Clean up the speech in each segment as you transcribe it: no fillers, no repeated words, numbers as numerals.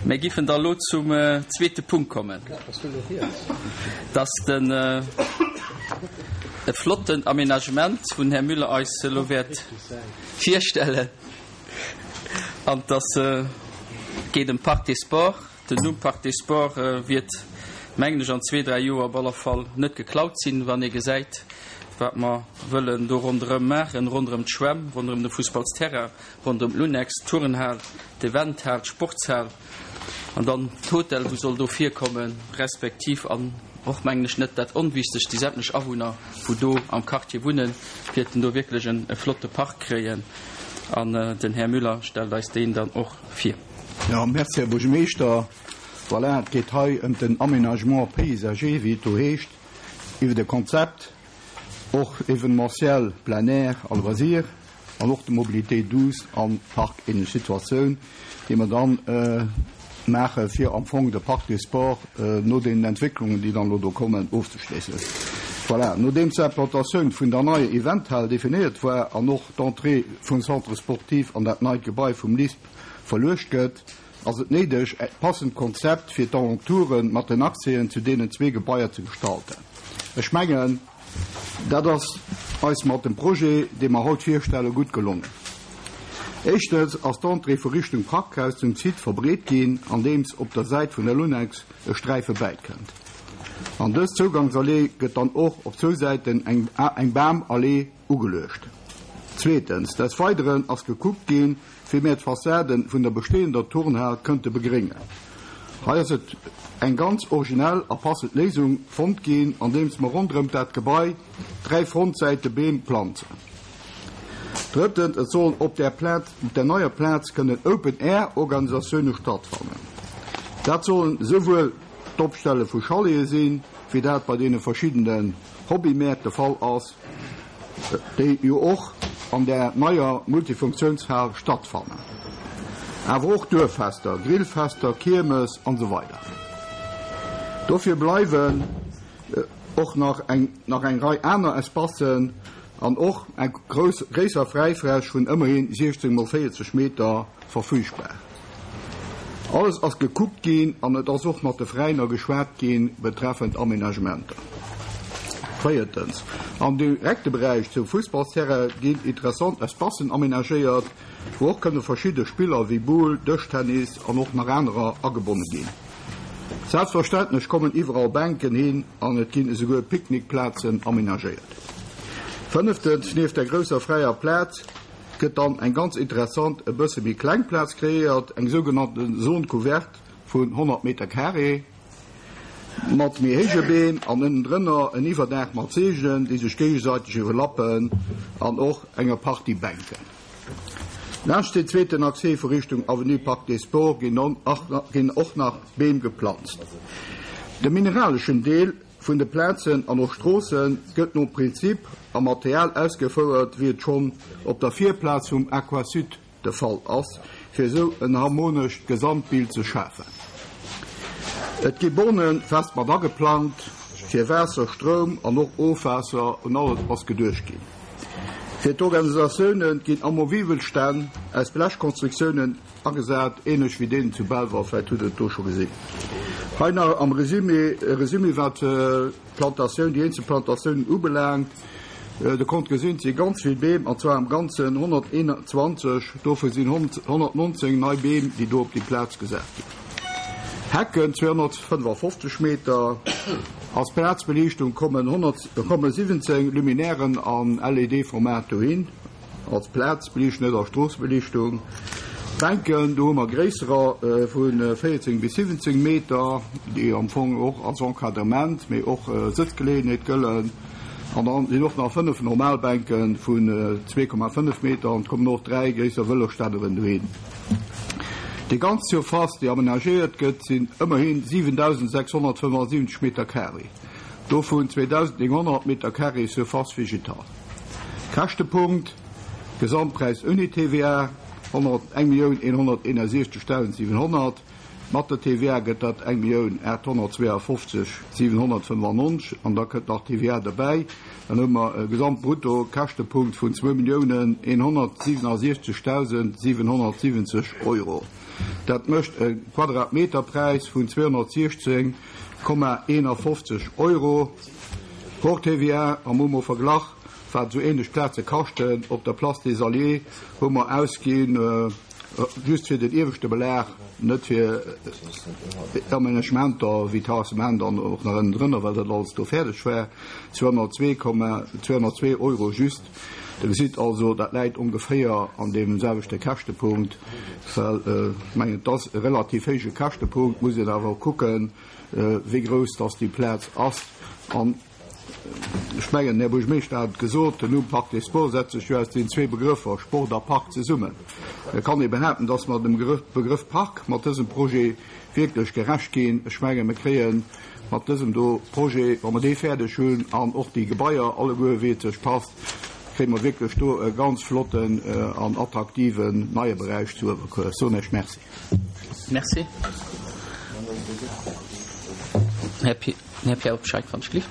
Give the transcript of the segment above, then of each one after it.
Mir giffen da lo zum zweete Punkt kommen, dass den e flotten Aménagement, wou den Här Müller eis elo wäert virstellen, an dass geet ëm Parc des Sports. Den Numm Parc des Sports wiert, mengen ech, an zwee, dräi Joer op aller Fall net geklaut sinn, wann ee gesäit, wat mer wëllen do ronderëm maachen, ronderëm d'Schwämm, ronderëm de Fussballsterrain, ronderëm d'Lunex, d'Turnhal, d'Eventhal, d'Sportshal an dann d'Hotel, wou soll do virkommen, respektiv, an och, mengen ech, net dat Onwichtegst, déi sämtlech Awunner, wou do am Quartier wunnen, wäerten do wierklech e flotte Park kréien. An den Här Müller stellt eis deen dann och vir. Jo, merci, Här Buergermeeschter. Voilà, et geet hei ëm den Aménagement paysager, wéi et do heescht, iwwert e Konzept, och événementiel, plein air a loisirs an och de Mobilité douce an parkähnlech Situatioun, déi mer dann maache fir am Fong de Parc des Sports no deenen Entwécklungen, déi dann elo do kommen, ofzeschléissen. Voilà, nodeems d'Implantatioun vun der neier Eventhal definéiert war an och d'Entrée vum Centre sportif an dat neit Gebai vum LISP verluecht gëtt, ass et néideg, e passend Konzept fir d'Alentoure mat den Accèsen zu deenen zwee Gebaier ze gestalten. Ech mengen, dat ass eis mat dem Projet, dee mer haut virstellen, gutt gelongen. Éischtens ass d'Entrée vu Richtung Parkhaus zum Site verbreet ginn, andeems op der Säit vun der Lunex e Sträife bäikënnt. An dës Zougangsallee gëtt dann och op zwou Säiten eng Bamallee ugeluecht. Zweetens, des Weideren ass gekuckt ginn, wéi mär d'Fassade vun der bestehender Turnhal kënnte begréngen. Hei ass et eng ganz originell a passend Léisung fonnt ginn, andeems mer ronderëm dat Gebai 3 Frontsäite Beem planzen. Drëttens, et sollen op där Plaz, op där neier Plaz kënnen Open-Air-Organisatioune stattfannen. Dat sollen esouwuel d'Opstelle vu Chalete sinn, wéi dat bei deene verschiddenen Hobbymäert de Fall ass, déi jo och an där neier Multifunktiounshal stattfannen, awer och Duerffester, Grillfester, Kiermes an esou weider. Dofir bleiwen och nach eng nach eng Rei aner Espacen an och eng grouss gréisser Fräifläch vun ëmmerhin 16 mol 40 Meter verfügbar. Alles ass gekuckt ginn an et ass och mat de Veräiner geschwat gi betreffend Aménagementer. Véiertens, am direkte Beräich zum Fussballsterrain ginn interessant Espacen aménagéiert, wou och kënne verschidde Spiller wéi Boule, Dëschtennis an och nach anerer agebonne ginn. Selbstverständlech kommen iwwerall Bänken hin an et ginn esouguer Picknickplazen aménagéiert. Fënneftens, nieft der grousser fräier Plaz, gëtt dann eng ganz interessant, e bësse méi kleng Plaz kreéiert, eng sougenannte Zone couverte vun 100 Meter carré, mat méi héije Beem an ënnendrënner en Iwwerdaach mat Seegelen, déi sech géigesäiteg iwwerlappen an och enger Partie Bänken. Laanscht deen zweeten Accès vu Richtung Avenue Parc des Sports ginn och nach Beem geplanzt. De mineraleschen Deel vun de Plazen an och Stroosse gëtt nom Prinzip a Material ausgefouert, wéi et schonn op der Virplaz vum Aquasud de Fall ass, fir esou en harmonescht Gesamtbild ze schafen. Et gi Borne fest mat ageplangt fir Waasser, Stroum an och Ofwaasser, un alles ass geduecht ginn. Fir d'Organisatioune ginn amovibel Stänn aus Blechkonstruktiounen Agesat, ähnlech wéi deen zu Belval, vläit hutt Der et do scho gesinn. Hei nach am Résumé, e Résumé wat d'Plantatioun, déi eenzel Plantatiounen ubelaangt. Der konnt gesinn, et si ganz vill Beem, an zwar am Ganzen 121, dovu sinn 119 nei Beem, déi do op déi Plaz gesat ginn. Hecken 255 Meter. Als Plazbeliichtung kommen 17 Luminairen an LED-Format dohin. Als Plazbeliichtung, net als Stroossebeliichtung. D'Bänken, do hu mer gréisserer vu 14 bis 17 Meter, déi am Fong och als Encadrement, mee och Sëtzgeleeënheet gëllen. An da sinn och nach 5 normal Bänke vun 2,5 Meter an et kommen och 3 gréisser Vëlosstänneren dohin. Déi ganz Surface, déi amenagéiert gëtt, sinn ëmmerhi 7.675 Meter carré, dovun 2.900 Meter carré Surface végétale. Käschtepunkt, Gesamtpräis ouni TVA, 1.161.700. Mat der TVA gëtt dat 1.852 795 an da kënnt nach d'TVA derbäi. Dann hu mer e Gesamtbruttokäschtepunkt vun 2.167.770 Euro. Dat mécht e Quadratmeterpräis vun 216,51 Euro hors TVA. Am hu mer verglach, wat esou ähnlech Plaze kaschten. Op der Place des Alliés hu mer ausginn, Just fir den ieweschte Belag, net fir d'Amenagementer wéi Terrassement an och nach ënnendrënner, well dat alles do fäerdeg war, 202,202 Euro just. Der gesitt also, dat läit ongeféier an deem selwechte Käschtepunkt, well ech mengen, et ass e relativ héije Käschtepunkt, muss een awer och kucken, wéi grouss dass déi Plaz ass. An Ech mengen, den Här Buergermeeschter hat et gesot, den Numm Parc des Sports setzt sech jo aus deenen zwee Begrëffer Sport a Park zesummen. Et kann ee behaapten, dass mer dem Begrëff Park mat dësem Projet wierklech gerecht ginn. Ech mengen, mir kréie mat dësem do Projet, wa mer dee fäerdeg hunn an och déi Gebaier alleguer, wéi et sech passt, kréie mer wierklech do e ganz flotten an attraktiven neie Beräich zu Uewerkuer. Ech soen Iech Merci. Merci. Här Här Pierre Obscheid, wann ech gelift.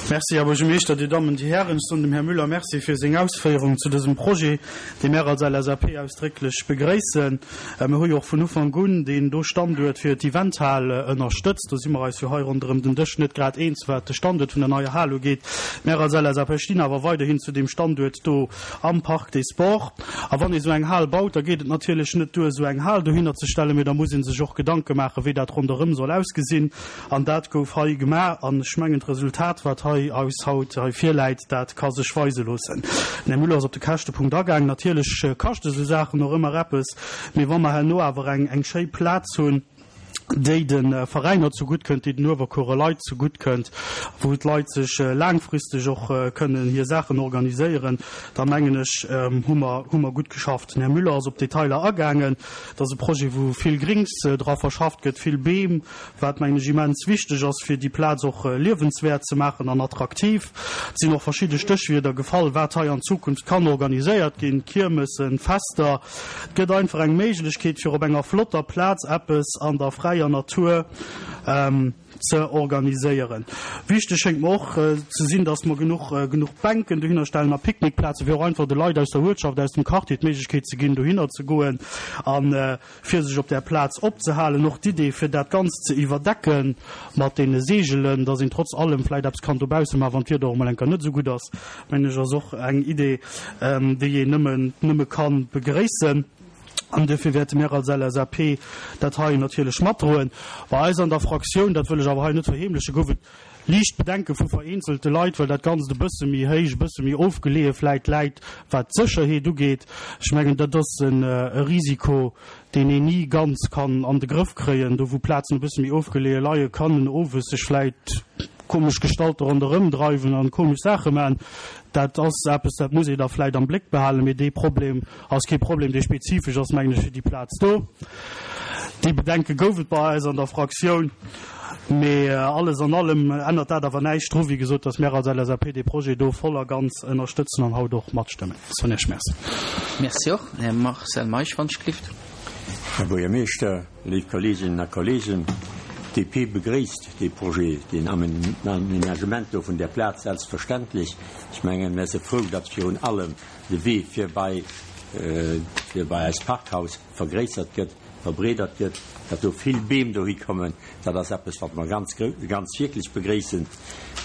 Merci, Här Buergermeeschter, Dir Dammen, Dir Hären. Ech soen dem Här Müller Merci fir seng Ausféierungen zu dësem Projet, dee mär als LSAP ausdrécklech begréissen. Mir hu jo och vun Ufank un deen do Standuert fir d'Eventhal ënnerstëtzt. Do si mer eis jo hei ronderëm den Dësch net grad eens, wat de Standuert vun der neier Hal ugeet. Mär als LSAP stinn awer weiderhin zu deem Standuert do am Parc des Sports. A wann ee sou eng Hal baut, da geet et natierlech net duer, esou eng Hal dohinner ze stellen, mee da muss ee sech och Gedanke maachen, wéi dat ronderëm soll ausgesinn. An dat gouf hei gemaach. An ech mengen, d'Resultat, wat hei eis haut hei virläit, dat ka sech weise loossen. Den Här Müller ass op de Käschtepunkt agaangen. Natierlech kaschte sou Saachen och ëmmer eppes, mee wa mer herno awer eng eng schéi Plaz hunn, déi de Veräiner zegutt kënnt, déi den Uewerkuerer Leit zegutt kënnt, wou d'Leit sech laangfristeg och kënnen hir Saachen organiséieren, da mengen ech, hu mer, hu mer gutt geschafft. Den Här Müller ass op d'Detailer agaangen. Et ass e Projet, wou vill Grings dra verschafft gëtt, vill Beem, wat, mengen ech, immens wichteg ass, fir déi Plaz och liewenswäert ze maachen an attraktiv. Et sinn och verschidde Stéchwierder gefall, wat hei an Zukunft kann organiséiert ginn, Kiermessen, Fester. Et gëtt einfach eng Méiglechkeet, fir op enger flotter Plaz eppes an der fräier Natur ze organiséieren. Wichteg schéngt mer och ze sinn, dass mer genuch genuch Bänken dohinner stellen a Picknickplazen, fir och einfach de Leit aus der Uertschaft, aus dem Quartier d'Méiglechkeet ze ginn, dohinner ze goen a fir sech op där Plaz opzehalen. Och d'Idee, fir dat Ganzt ze iwwerdecken mat deene Seegelen, dass een trotz allem vläicht eppes kann dobausse maachen, wann d'Wieder och emol eng Kéier net esou gutt ass, mengen ech, ass och eng Idee, déi een nëmmen, nëmme ka begréissen. An duerfir wäerte mir als LSAP dat hei natierlech matdroen. Bei eis an der Fraktioun, dat wëll ech awer hei net verheemlechen, gouf et liicht Bedenke vu vereenzelte Leit, well dat Ganzt e bësse méi héich, e bësse méi ofgeleeë vläit läit, wat d'Sécherheet ugeet. Ech mengen, dat ass e Risiko, deen een ni ganz kann an de Grëff kréien. Do wou Plazen e bësse méi ofgeleeë leien, kann en owes sech vläit komesch Gestalte ronderëm dreiwen an komesch Saache maachen. Dat ass eppes, dat muss ee da vläit am Bléck behalen, mee dee Problem ass kee Problem, dee spezifesch ass, mengen ech, fir déi Plaz do. Déi Bedenke gouf et bei eis an der Fraktioun, mee alles an allem ännert dat awer näischt dru, wéi gesot, dass mär als LSAP dee Projet do voll a ganz ënnerstëtzen an haut och matstëmmen. Soen Iech Merci. Merci och. Här Marcel Meisch, wann ech gelift. Här Buergermeeschter, léif Kolleeginnen a Kolleegen, d'DP begréisst dee Projet, deen Amenagement do vun där Plaz selbstverständlech. Ech mengen, mär si frou, datt virun allem de Wee fir bei fir bei eist Parkhaus vergréissert gëtt, verbreedert gëtt, datt do vill Beem dohi kommen, dat ass eppes, wat mer ganz, ganz wierklech begréissen.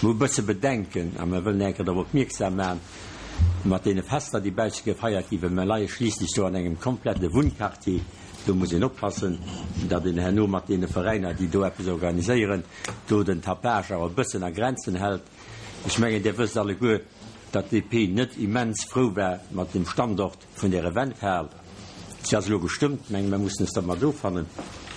Mer hu e bësse Bedenken a mer wëllen eng Kéier drop opmierksam maachen, mat deene Fester, déi bausse gefeiert ginn, well mer leie schliisslech do an engem komplette Wunnquartier. Do muss een oppassen, datt een herno mat deene Veräiner, déi do eppes organiséieren, do den Tapage awer e bëssen a Grenzen hält. Ech mengen, Dir wësst alleguer, datt d'DP net immens frou war mat dem Standort vun där Eventhal. Si ass elo gestëmmt, meng, mer mussen es dermat offannen.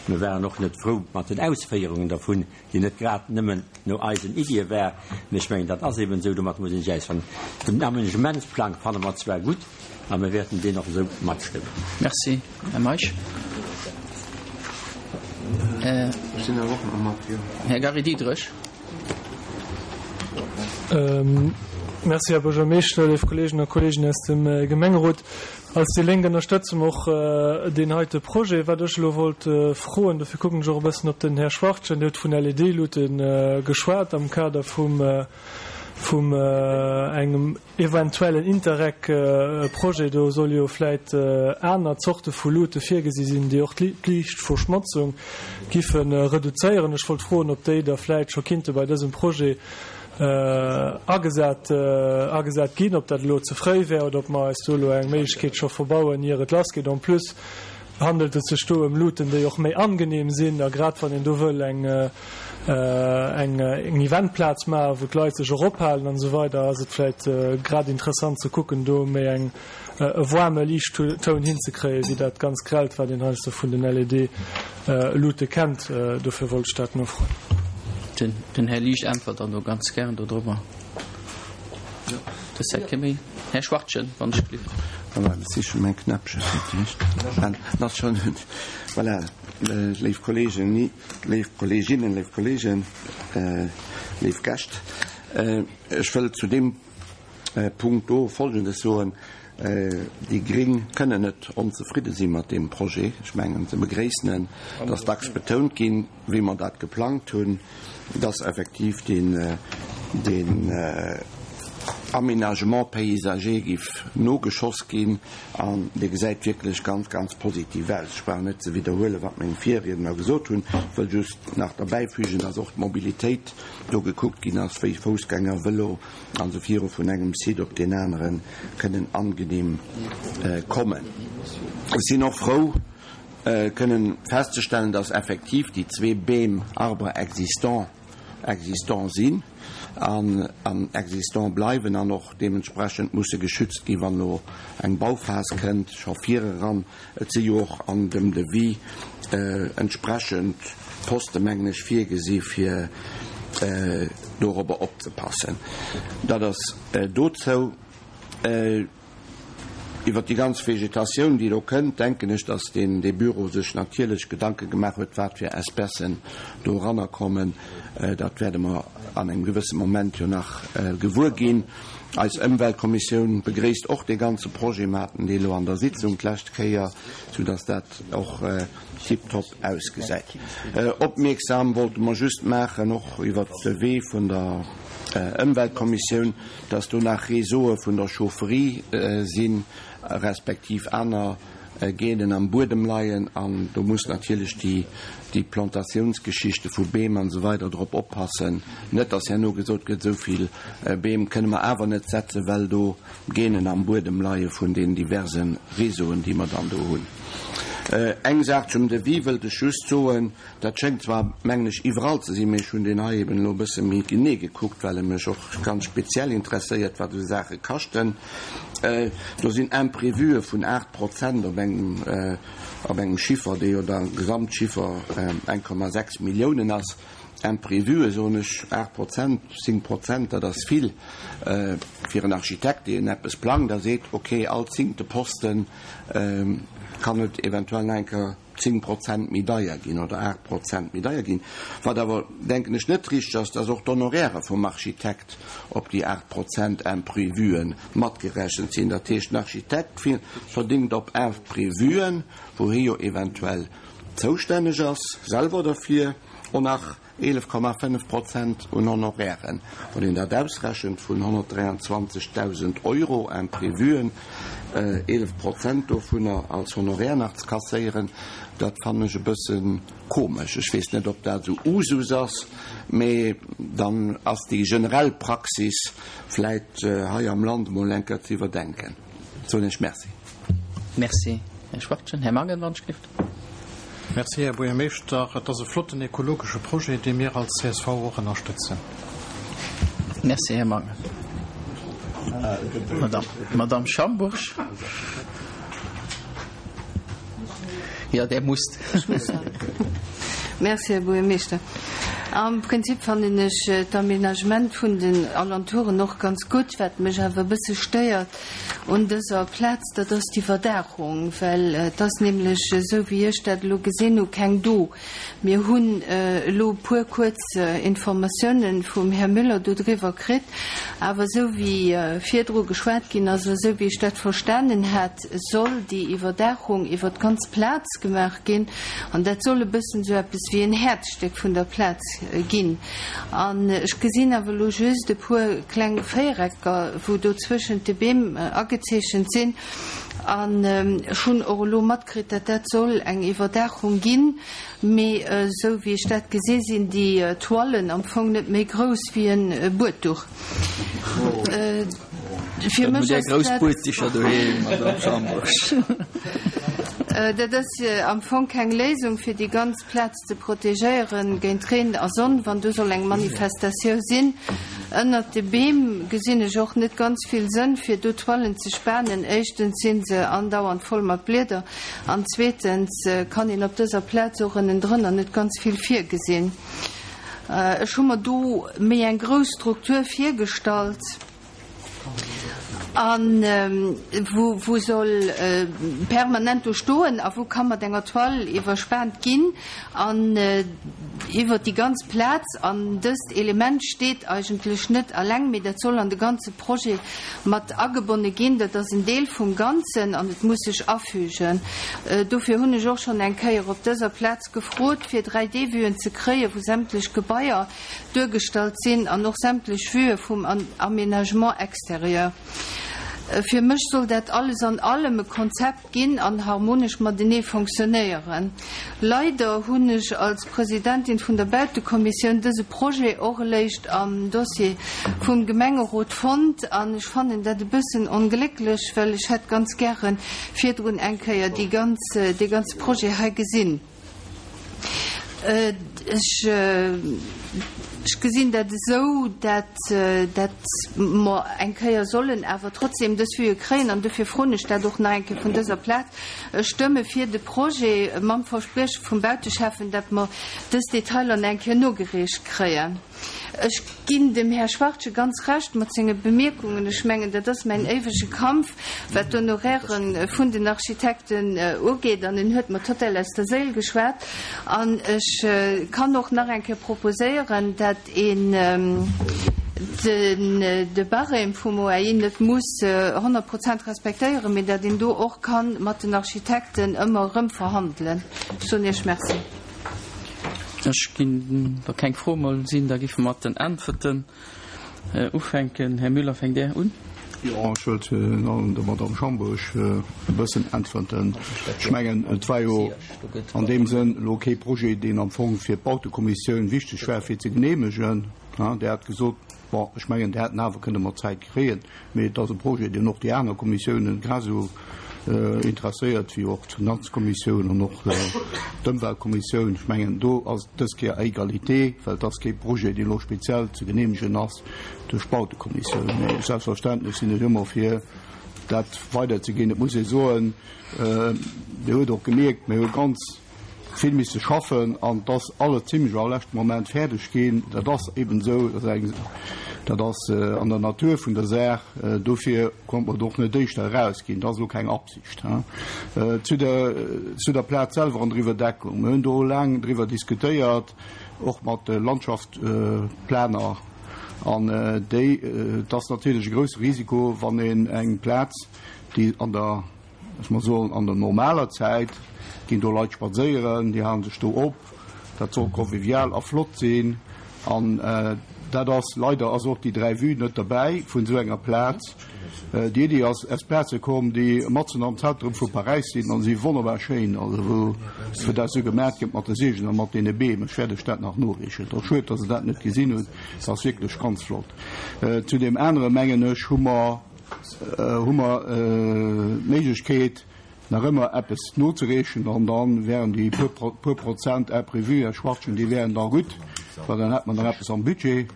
Mir waren och net frou mat den Ausféierungen dervun, déi net grad nëmmen no eisen Iddie war. Mä ech mengen, dat ass eben esou, domat muss een sech ausfannen. Den Amenagementsplang fanne mer zwar gutt a mir wäerten deen och esou matstëmmen. Merci, Här Meisch. Här Gary Diderich. Merci, Här Buergermeeschter, léif Kolleeginnen a Kolleegen aus dem Gemengerot. Als déi Lénk ënnerstëtze mer och deen heite Projet. Wat ech elo wollt froen, dofir kucken ech och e bëssen op den Här Schwachtgen, Dir hutt vun LED-Luute geschwat am Kader vum, vum engem eventuellen Interreg-Projet. Do solle jo vläit aner Zorte vu Luute virgesi sinn, déi och d'Liichtverschmotzung giffe reduzéieren. Ech wollt froen, ob déi da vläit scho kinnte bei dësem Projet agesat agesat ginn, ob dat elo ze fréi wär oder ob mer eis do elo eng Méiglechkeet scho verbauen, ier et lassgeet. En plus handelt et sech do ëm Luuten, déi och méi angenehm sinn, a grad wann een do wëll eng eng eng Eventplaz maachen, wou d'Leit sech och ophalen an esou weider, ass et vläicht grad interessant ze kucken, do méi eng e waarme Liichttoun hinzekréien, wéi dat ganz grellt, wat een heiansdo vun den LED-Luute kennt. Dofir wollt ech dat nofroen. Den Här Liesch äntwert dann do ganz gären dodrobber. Dës Säit kee méi. Här Schwachtgen, wann ech gelift. Voilà, ech siche mäin Knäppche fir d'éischt. En ass schonn un. Voilà, léif Kolleegen, léif Kolleeginnen, léif Kolleegen, léif Gäscht, ech wëll zu deem Punkt do Folgendes soen, Déi gréng kënnen net onzefridde si mat deem Projet. Ech mengen, se begréissen en. Et ass dacks betount ginn, wéi mer dat geplangt hunn, dass effektiv deen Aménagement paysager giff nogeschoss ginn. An dee gesäit wierklech ganz, ganz positiv aus. Ech brauch net ze widderhuelen, wat meng Virriedner gesot hunn. Ech wëll just nach derbäifügen, dass och d'Mobilitéit do gekuckt ginn ass, wéi Foussgänger, Vëlo, an se viru vun engem Site op deen anere kënnen angenehm kommen. Ech sinn och frou kënnen festzestellen, dass effektiv déi zwee Beem, Arbres existants, existant sinn an an existant bleiwen an och deementsprechend musse geschützt ginn, wann elo eng Bauphas kënnt, scho vireran. Et si jo och an dem Devis entsprechend Poste, mengen ech, virgesi fir dorobber opzepassen. Dat ass dozou. Iwwert déi ganz Vegetatioun, déi do kënnt, denken ech, datt deen dee Büro sech natierlech Gedanke gemaach huet, wat fir Espècen do eranner kommen. Dat wäerde mer an engem gewësse Moment jo nach gewuer ginn. Eis Ëmweltkommissioun begréisst och dee ganze Projet. Mer haten dee lo an der Sitzung d'lescht Kéier, soudass dat och tiptop ausgesäit. Opmierksam wollte mer just maachen, och iwwert de Wee vun der Ëmweltkommissioun, dass do nach Réseaue vun der Chaufferie sinn, respektiv aner Genen am Buedem leien an do muss natierlech déi déi Plantatiounsgeschichte vu Beem an esou weider drop oppassen, net dass herno gesot gëtt, esou vill Beem kënne mer awer net setzen, well do Genen am Buedem leie vun den diverse Réseauen, déi mer dann do hunn. Eng Saach zum Devis wëllt ech just soen, Dat schéngt zwar, mengen ech, iwwerall ze sinn, mee ech hunn deen hei eben elo e bësse méi genee gekuckt, well e mech och ganz speziell interesséiert, wat esou Saache kaschten. Do sinn Imprévuë vun 8 Prozent op engem, op engem Chiffer, dee jo da Gesamtchiffer 1,6 Milliounen ass. Imprévuë, soen ech, 8 Prozent, 10 Prozent, dat ass vill fir en Architekt, deen eppes plangt a seet, okay, all zéngte Poste kann et eventuell nach eng Kéier 10 Prozent méi deier ginn oder 8 Prozent méi deier ginn. Wat awer, denken ech, net richteg ass, dass och d'Honoraire vum Architekt op déi 8 Prozent Imprévuen matgerechent sinn. Dat heescht, den Architekt verdéngt op Imprévuen, wou hie jo eventuell zoustänneg ass, selwer derfir, och nach 11,5 Prozent un Honorairen. Wann een dat ausrechent vun 123.000 Euro Imprévuen, 11 Prozent dovunner als Honoraire nach ze kasséieren, dat fannen ech e bësse komesch. Ech weess net, ob dat esou Usus ass, mee dann ass déi generell Praxis vläit hei am Land emol eng Kéier ze iwwerdenken. Soen ech Merci. Merci, Här Schwachtgen. Här Mangen, wann ech gelift. Merci, Här Buergermeeschter. Et ass e flotten ekologesche Projet, dee mir als csv och ënnerstëtzen. Merci, Här Mangen. Madame Schambourg. Jo, Där musst. Ech muss. Merci, Här Buergermeeschter. Am Prinzip fannen ech d'Aménagement vun den Alentouren och ganz gutt. Wat mech awer e bësse stéiert. un dëser Plaz, dat ass d'Iwwerdaachung, well et ass nämlech, esou wéi ech dat elo gesinn hu, keng do. Mir hunn elo e puer kuerz Informatiounen vum Här Müller dodriwwer kritt, awer esou wéi virdru geschwat ginn ass a esou wéi ech dat verstanen hat, soll déi Iwwerdaachung iwwer d'ganz Plaz gemaach ginn an dat soll e bëssen esou eppes wéi en Häerzstéck vun der Plaz ginn. An ech gesinn awer elo just e puer kleng Véierecker, wou do zwëschent de Beem agezeechent sinn. An ech hunn och elo matkritt, datt dat soll eng Iwwerdaachung ginn. Mee esou wéi ech dat gesi sinn déi Toilen am Fong net méi grouss wéi e Buedduch. Fir mech ass dat. Dat ass am Fong keng Léisung fir déi ganz Plaz ze protegéieren géint Reen a Sonn, wann do soll eng Manifestatiou sinn. Ënnert de Beem gesinn ech och net ganz vill Sënn, fir do Toilen ze spanen. Éischtens si se andauernd voll mat Blieder an zweetens kann een op dëser Plaz och ënnendrënner net ganz vill virgesinn. Ech hu mer do méi eng grouss Struktur virgestallt. A wou soll permanent do stoen a wou ka mat enger Toile iwwerspaant ginn an iwwert déi ganz Plaz. An dëst Element steet eigentlech net alleng, mee dat soll an de ganze Projet mat agebonne ginn. Dat ass en Deel vum Ganzen an et muss sech afügen. Dofir hunn ech och schonn eng Kéier op dëser Plaz gefrot, fir 3D-Vuen ze kréien, wou sämtlech Gebaier duergestallt sinn an och sämtlech Vuë vum Aménagement extérieur. Fir mech soll dat alles an allem e Konzept ginn an harmonesch matenee fonctionnéieren. Leider hunn ech als Presidentin vun der Bautekommissioun dëse Projet och eléischt am Dossier vum Gemengerot fonnt an ech fannen dat e bëssen onglécklech, well ech hätt ganz gäre virdrun eng Kéier déi ganz, dee ganze Projet hei gesinn. Ech gesinn dat esou, dat mer eng Kéier sollen awer trotzdem dës Vuë kréien, an dofir froen ech dat och nach eng Kéier vun dëser Plaz. Ech stëmme fir de Projet mam Versprieche vum Bauteschäffen, dat mer dës Detailer nach eng Kéier nogereecht kréien. Ech ginn dem Här Schwachtgen ganz Recht mat senge Bemierkungen. Ech mengen, dat ass mäin éiwege Kampf, wat d'Honoraire vun den Architekten ugeet. An en huet mer total aus der Séil geschwat. An ech kann och nach eng Kéier proposéieren, dat een de Barème vum OAI net muss 100 Prozent respektéieren, mee dat een do och ka mat den Architekten ëmmer erëm verhandelen. Ech soen Iech Merci. Ech ginn, wa keng Froe mol sinn, da géife mer mat den Äntwerten ufänken. Här Müller, fänkt Där un? Jo, ech wëllt virun allem der Madamm Schambourg e bëssen äntwerten. Ech mengen, et war jo an deem Sënn elo kee Projet, deen am Fong fir d'Bautekommissioun wichteg war fir ze geneemegen. Där hat gesot, bon, ech mengen, Där hätten awer kënne mat Zäit kréien. Mee et ass e Projet, deen och déi aner Kommissiounen grad esou interesséiert wéi och d'Finanzkommissioun an och d'Ëmweltkommissioun. Ech mengen, do ass et dës Kéier à égalité, well et ass kee Projet, deen elo speziell ze geneemegen ass duerch d'Bautekommissioun. Mee selbstverständlech sinn ech ëmmer fir dat weiderzeginn. Et muss ee soen, Dir hutt och gemierkt, mir hu ganz vill misse schaffen an et ass alles zimlech am leschte Moment fäerdeg ginn. Dat ass eben esou, dat ass eng, dat ass an der Natur vun der Saach. Dofir konnt mer et och net éischter erausginn. Dat ass elo keng Absicht. Zu der, zu der Plaz selwer an der Iwwerdeckung, Mir hunn do laang driwwer diskutéiert, och mat de Landschaftsplaner an déi, et ass natierlech e grousse Risiko, wann een eng Plaz, déi an der, Ech muss soen, an der normaler Zäit ginn do Leit spadséieren, déi halen sech do op, dat soll convivial a flott sinn. An dat ass, leider ass och déi 3 Vue net derbäi vun esou enger Plaz. Déi Iddi ass aus Plaze komm, déi matzen am Zentrum vu Paräis sinn an si wonnerbar schéin, also wou dat esou gemat gëtt mat de Seegen a mat deene Beem. Ech wäert lech dat nach noreechen. Et ass schued, dass Der dat net gesinn hutt, et ass wierklech ganz flott. Zu deem anere mengen ech, hu mer, hu mer d'Méiglechkeet, nach ëmmer eppes nozereechen an da wären déi puer Prozent imprévu, Här Schwachtgen, déi wären da gutt, well dann hätt mer nach eppes am Budget.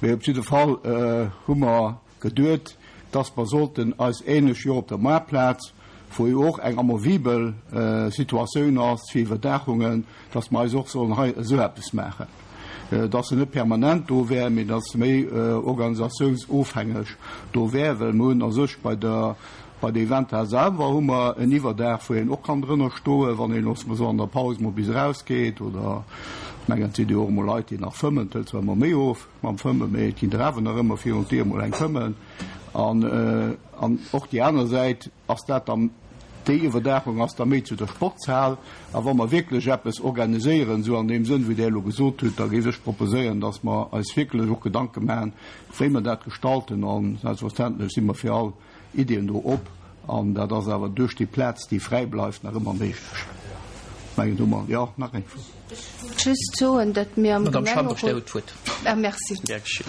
Mee op jidde Fall hu mer geduet, dass mer sollten eis ähnlech wéi och op der Moartplaz, wou jo och eng amovibel Situatioun ass fir Iwwerdaachungen, dass mer eis och sollen hei esou eppes maachen, dass se net permanent do wär, mee dass se méi organisatiounsofhängeg do wär, well mer hunn a sech bei der. Bei der Eventhal selwer hu mer en Iwwerdaach, wou een och kann drënner stoen, wann een, loosse mer soen, an der Paus mol bis erausgeet. Oder ech mengen, et sinn jo och emol Leit, déi nach fëmmen. Et hëlt zwar ëmmer méi of mam Fëmmen, mee et ginn der awer nach ëmmer virun d'Dier mol eng fëmmen. An, an och déi aner Säit ass dat dann, déi Iwwerdaachung ass da méi zu der Sportshal. A wa mer wierklech eppes organiséieren, esou an deem Sënn, wéi Der elo gesot hutt, da géif ech proposéieren, dass mer eis wierklech och Gedanke maachen, wéi mer dat gestalten. A selbstverständlech si mer fir all Iddien do op. An dat ass awer duerch déi Plaz, déi fräi bleift, nach ëmmer méiglech. Ech mengen, do mer, jo, nach eng Fro. Ech wollt just soen, datt mir am Madame Schambourg, Dir hutt d'Wuert. Ah, merci. Gär geschétt.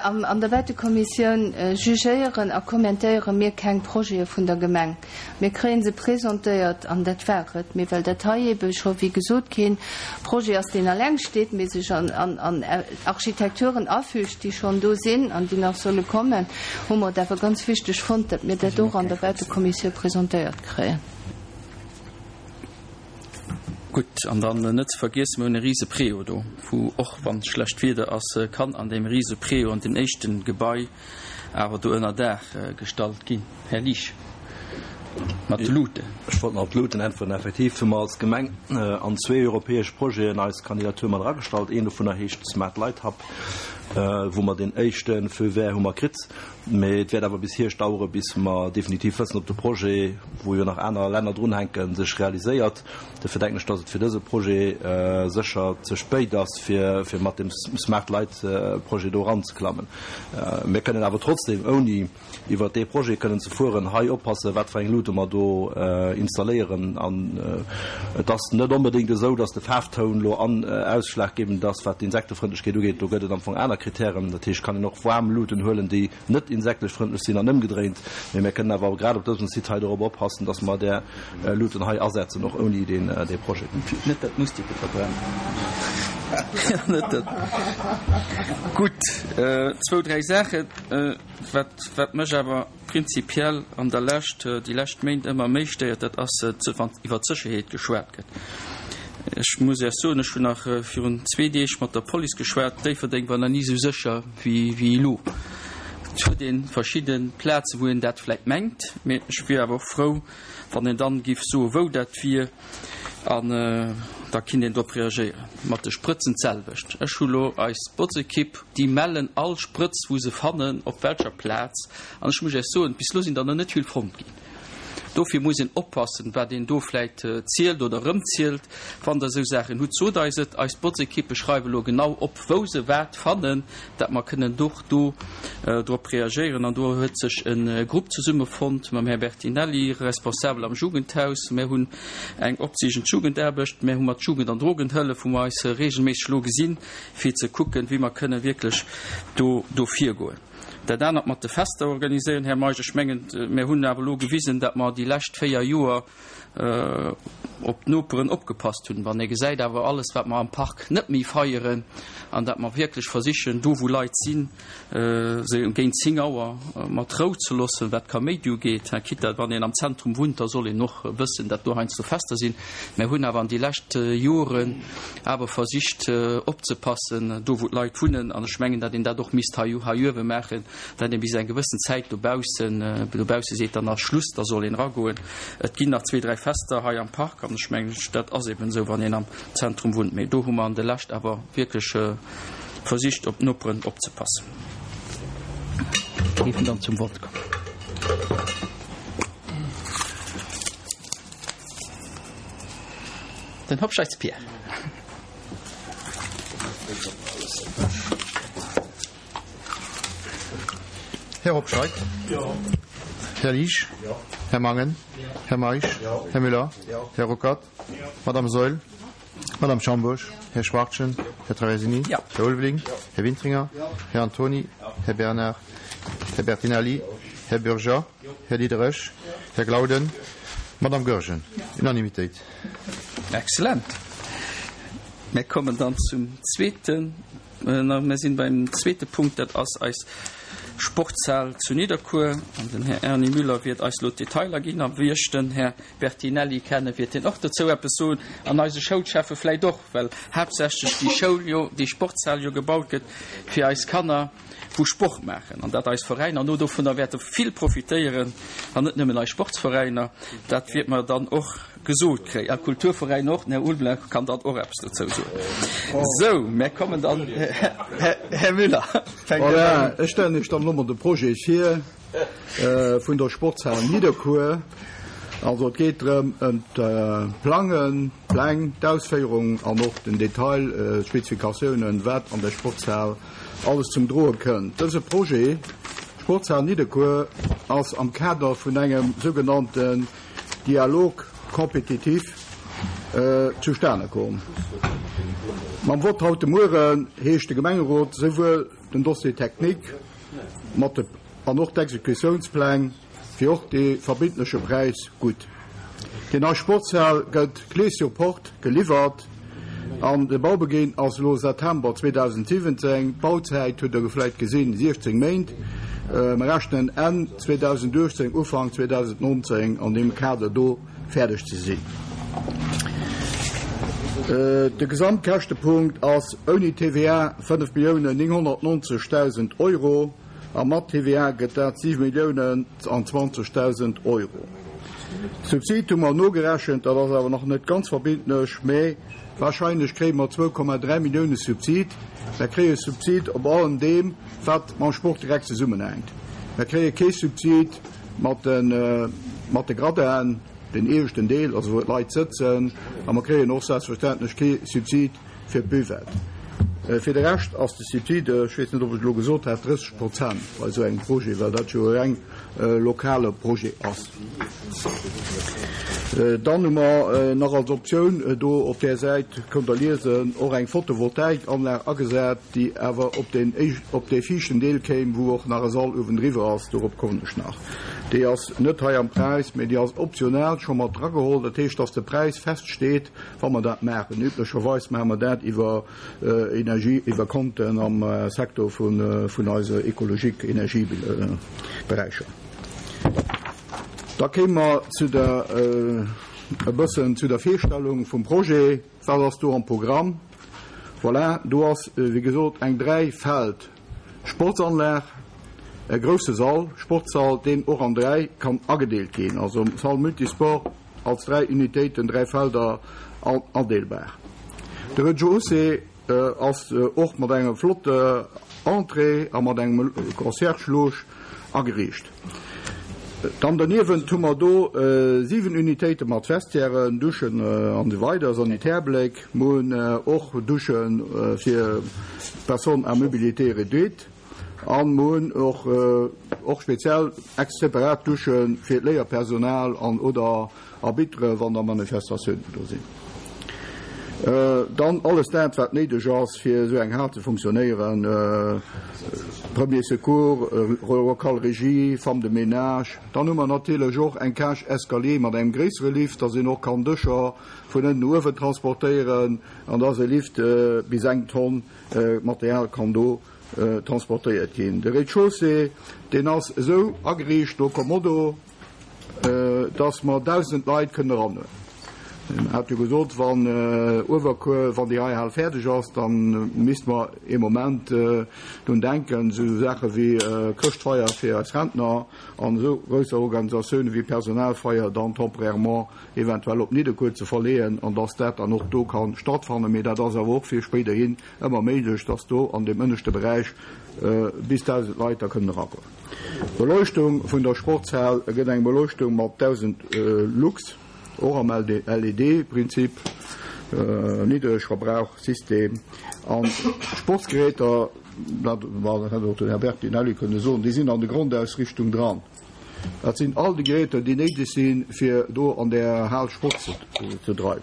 An der Bautekommissioun jugéieren a kommentéiere mir keng Projete vun der Gemeng. Mir kréie se presentéiert an dat war et. Mee well dat hei eebe scho, wéi gesot, kee Projet ass, deen alleng steet, mee sech an Architekturen afügt, déi schonn do sinn an déi nach solle kommen, hu mer et awer ganz wichteg fonnt, datt mir dat och an der Bautekommissioun presentéiert kréien. Gutt, an dann net ze vergiessen, mir hunn e rise Préau do, wou och, wann schlecht Wieder ass, kann an deem rise Préau an deem éischten Gebai awer do ënner Daach gestallt ginn. Här Liesch, mat de Luuten. Ech wollt nach op d'Luuten äntweren. Effektiv hu mer als Gemeng an zwee europäesch Projeten eis Kandidatur mat eragestallt. Een dovunner heescht Smart Light Hub, wou mer deen éischte Feu vert hu mer kritt. Mee et wäert awer bis Hierscht dauere bis mer definitiv wëssen, ob de Projet, wou jo nach aner Länner drunhänken, sech realiséiert. Dofir denken ech, dass et fir dëse Projet sécher ze spéit ass, fir mat dem Smart Light Projet do eranzeklammen. Mir kënnen awer trotzdem, ouni iwwert dee Projet kënnen ze fueren, hei oppassen, wat fir eng Luute mer do installéieren. An et ass net onbedéngt esou, dass de Faarftoun elo ausschlaggebend ass, wat d'Insektefrëndlechkeet ugeet. Do gëtt et am Fong aner Kritären. Dat heescht, et kann een och waarm Luuten huelen, déi net insektlech frëndlech sinn an ëmgedréint. Mee mir kënnen awer grad op dësem Site hei dorop oppassen, dass mer där Luuten hei asetzen, och ouni deen dee Projet. Net dat d'Moustiquen verbrennen. Net dat. Gutt, zwou, dräi Saachen, wat, wat mech awer prinzipiell an der Lescht, déi lescht Méint ëmmer méi stéiert, dat ass, wann iwwert d'Sécherheet geschwat gëtt. Ech muss Iech soen, ech hunn nach virun zwee Deeg mat der Police geschwat, Déifferdeng war nach ni esou sécher wéi elo. Et huet ee verschidde Plazen, wou een dat vläicht mengt, mee ech wier awer och frou, wann een dann géif soen, wou dat wier, an da kinnt een drop reagéieren. Mat de Sprëtzen d'selwecht. Ech hu lo eis Botzekipp, déi mellen all Sprëtz, wou se fannen, op welcher Plaz. An ech muss Iech soen, bis elo sinn der nach net vill fonnt ginn. Dofir muss een oppassen, wat een do vläit zielt oder erëmzielt. Wann Der esou Saachen hutt, sot eis et. Eis Botzekippe schreiwe lo genau op, wou se wat fannen, dat mer kënnen och do drop reagéieren. An do huet sech e Grupp zesummefonnt mam Här Bertinelli, Responsabel am Jugendhaus. Mär hunn eng opsiichend Jugendaarbecht. Mär hu mat Jugend an Drogenhëllef, wou mer eis regelméisseg elo gesinn, fir ze kucken, wéi mer kënnen wierklech do virgoen. Dat anert mat de Fester organiséieren, Här Meisch, ech mengen, mir hunn awer elo gewisen, datt mer déi lescht véier Joer op d'Noperen opgepasst hunn. Wann ee gesäit awer alles, wat mer am Park net méi feieren an datt mer wierklech versichen, do wou Leit sinn, se géint 10 Auer mat Rou ze loossen, wat Kaméidi ugeet, quitte wann een am Zentrum wunnt, da soll een och wëssen, datt do heiansdo Fester sinn. Mir hunn awer an déi lescht Joren awer versicht opzepassen, do wou d'Leit wunnen, an ech mengen, datt een dat och misst hei uewe maachen, datt ee bis eng gewëssen Zäit dobaussen, dobausse seet, dann ass Schluss, da soll een eragoen. Et ginn nach zwee, dräi Fester hei am Park an ech mengen, dat ass eben esou, wann een am Zentrum wunnt. Mee do hu mer an de Lescht awer wierklech versicht, op d'Noperen opzepassen. Géifen dann zum Vott kommen. Den Hobscheits Pierre. Här Hobscheit. Här Liesch. Här Mangen. Här Meisch. Här Müller. Här Ruckert. Madame Saeul. Madame Schambourg. Här Schwachtgen. Här Traversini. Här Ulveling. Här Wintringer. Här Antony. Här Bernard. Här Bertinelli. Här Bürger. Här Diderich. Här Glauden. Madame Goergen. Unanimitéit. Excellent. Mir kommen dann zum zweeten, mir sinn beim zweete Punkt, dat ass eis. Sportshal zu Nidderkuer. An den Här Erny Müller wäert eis elo d'Detailer ginn. A wéi ech den Här Bertinelli kennen, wäert hien och dozou eppes soen. An eise Schoulschäffe vläicht och, well haaptsächlech déi Schoul jo, déi Sportshal jo gebaut gëtt fir eis Kanner, wou Sport maachen, an dat eis Veräiner no dovunner wäerte vill profitéieren, an net nëmmen eis Sportsveräiner, dat wäerte mer dann och gesot kréien, a Kulturveräiner och, den Här Ulveling kann dann och eppes dozou soen. Sou, mär kommen dann, Här Müller, fänkt Dir un. Voilà, ech stellen Iech dann elo mol de Projet vir vun der Sportshal Nidderkuer. Also et geet drëm ëm d'Plangen, d'Pläng, d'Ausféierung an och den Detail, d'Spezifikatiounen, wat an der Sportshal alles zum Droe kënnt. Dëse Projet, Sportshal Nidderkuer, ass am Kader vun engem sougenannten Dialogue compétitif zustane komm. Mam Vott haut de Mueren heescht de Gemengerot souwuel den Dossier technique mat de an och d'Exekutiounspläng wéi och dee verbindleche Präis gutt. Déi nei Sportshal gëtt clé sur porte geliwwert an de Baubeginn ass elo September 2017. D'Bauzäit hutt Der vläicht gesinn, 16 Méint. Mer rechnen Enn 2018, Ufank 2019 an deem Kader do fäerdeg ze sinn. De Gesamtkäschtepunkt ass ouni TVA 5.990.000 Euro. A mat TVA gëtt dat 7 Milliounen an 20.000 Euro. Subsid hu mer nogerechent, dat ass awer nach net ganz verbindlech, mä wahrscheinlech kréie mer 2,3 Millioune Subsid. Mer kréie Subsid op allem deem, wat mam Sport direkt zesummenhänkt. Mer kréie kee Subsid mat de mat de Gradinen, den ieweschten Deel, also wou d'Leit sëtzen, a mer kréien och selbstverständlech kee Subsid fir d'Buvette. Fir de Rescht ass de Subside, ech weess net, ob ech et elo gesot hat, 30 Prozent bei esou engem Projet, well dat jo e reng lokale Projet ass. Dann hu mer nach als Optioun do op där Säit, kënnt Der liesen, och eng Photovoltaikanlag agesat, déi awer op deen op dee viischten Deel kéim, wou och nach e Sall uewendriwwer ass. Dorop kommen ech nach. Déi ass net hei am Präis, mee déi ass optional scho mat drageholl. Dat heescht, dass de Präis feststeet, Wa mer dat maachen, üblecherweis maache mer dat iwwer Energie, iwwer Konten am Secteur vun eise ecologique Energieberäicher. Da kéime mer zu der, e bëssen zu der Virstellung vum Projet. Wat ass do am Programm? Voilà, do ass, wéi gesot, eng Dräifeld-Sportsanlag, e grousse Sall, Sportssall, deen och an dräi kann agedeelt ginn, also Salle multisport, Als 3 Unitéiten, 3 Felder adeelbar. De Rez-de-chaussée ass och mat engem flotte Entrée a mat engem Concierge-Loge ageriicht. Dann derniewent hu mer do 7 Unitéite mat Vestiairen, Duschen an esou weider, Sanitärbléck. Mer hunn och Dusche fir Personnes à mobilité réduite. An mer hunn och och speziell ex separat Dusche fir d'Léierpersonal an oder Arbitere wann da Manifestatiounen do sinn. Dann alles dat wat néideg ass fir esou eng Hal ze funktionéieren, Premier Secours, Local Régie, Femme de ménage. Dann hu mer natierlech och eng Cage escalier mat engem gréissere Lift, dass een och kann Dëscher vun ënnen no uewen transportéieren an dass e Lift bis eng Tonn Material kann do transportéiert ginn. De Rez-de-chaussée, deen ass esou ageriicht no Kommodo, dass mer 1.000 Leit kënnen eranhuelen. En hat jo gesot, wann Uewerkuer, wann déi hei Hal fäerdeg ass, da misste mer ee Moment drun denken, esou Saache wéi Chrëschtfeier fir eis Rentner an esou grousser Organisatioune wéi Personalfeier dann temporairement eventuell op Nidderkuer ze verleeën an dass dat dann och do ka stattfannen. Mee dat ass awer och fir spéiderhin ëmmer méiglech, dass do an deem ënneschte Beräich bis 1.000 Leit da kënnen eragoen. D'Beleuchtung vun der Sportshal gëtt eng Beleuchtung mat 1.000 Lux, och am LED-Prinzip, Niddregverbrauchsystem. An d'Sportsgeräter, dat hätt och den Här Bertinelli kënne soen, déi sinn an de Grondausrichtung dran. Dat sinn all déi Geräter, déi néideg sinn, fir do an där Hal Sport ze dreiwen.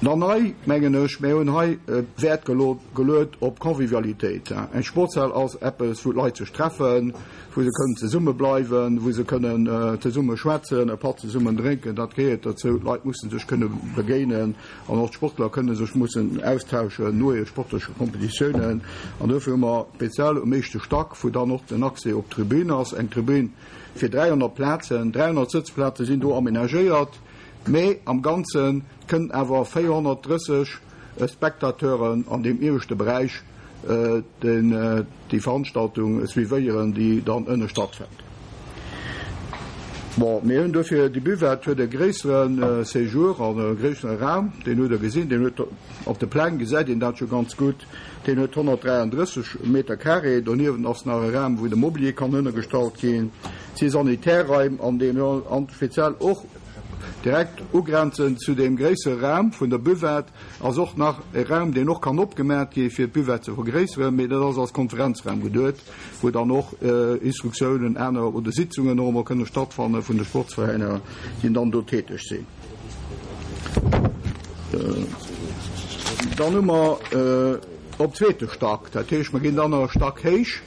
Dann hei, mengen ech, mir hunn hei Wäert geluet op Convivialitéit. Eng Sportshal ass eppes, wou d'Leit sech treffen, wou se kënnen zesumme bleiwen, wou se kënnen zesumme schwätzen, e Patt zesummen drénken. Dat gehéiert dozou. D'Leit musse sech kënne begéinen an och d'Sportler kënne sech mussen austauschen no hire sportleche Kompetitiounen. An dofir hu mer speziell um éischte Stack, wou dann och den Accès op d'Tribün ass, eng Tribün fir 300 Plazen, 300 Sëtzplaze sinn do amenagéiert, Mee am Ganze kënnen awer 430 Spectateuren an deem ieweschte Beräich déi Veranstaltung suivéieren, déi dann ënne stattfënnt. Bon, mir hunn dofir, déi Buvette huet e gréissere Séjour an e gréissere Raum, deen hutt Der gesinn, deen huet, op de Pläng gesäit een dat scho ganz gutt, deen huet 133 Meter carré. Doniewent ass nach e Raum, wou de Mobilier kann ënnergestallt ginn. Et si Sanitärraim an deem, an speziell och, Direkt ugrenzend zu deem gréissere Raum vun der Buvette ass och nach e Raum, deen och kann opgemaat gi fir d'Buvette ze vergréisseren, mee dat ass als Konferenzraum geduet, wou dann och Instruktiounen, aner oder Sitzungen och emol kënne stattfanne vun de Sportsveräiner, déi dann do täteg sinn. Dann hu mer op zweete Stack, dat heescht mer ginn dann nach e Stack héich,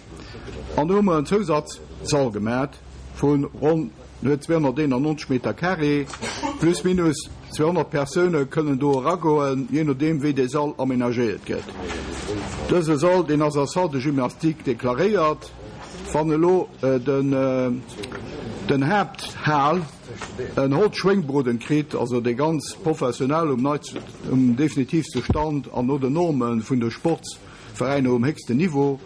an do hu mer en Zousatzsall gemaat vu ronn, En huet 291 Meter carré, plus minus 200 Persoune kënnen do eragoen, jee nodeem wéi dee Sall amenagéiert gëtt. Dëse Sall, deen ass als Salle de gymnastique deklaréiert. Wann elo den Haapthal en Holzschwéngbroden kritt, also dee ganz professionell um neitsten, um definitivste Stand an no den Norme vun de Sportsveräiner um héchsten Niveau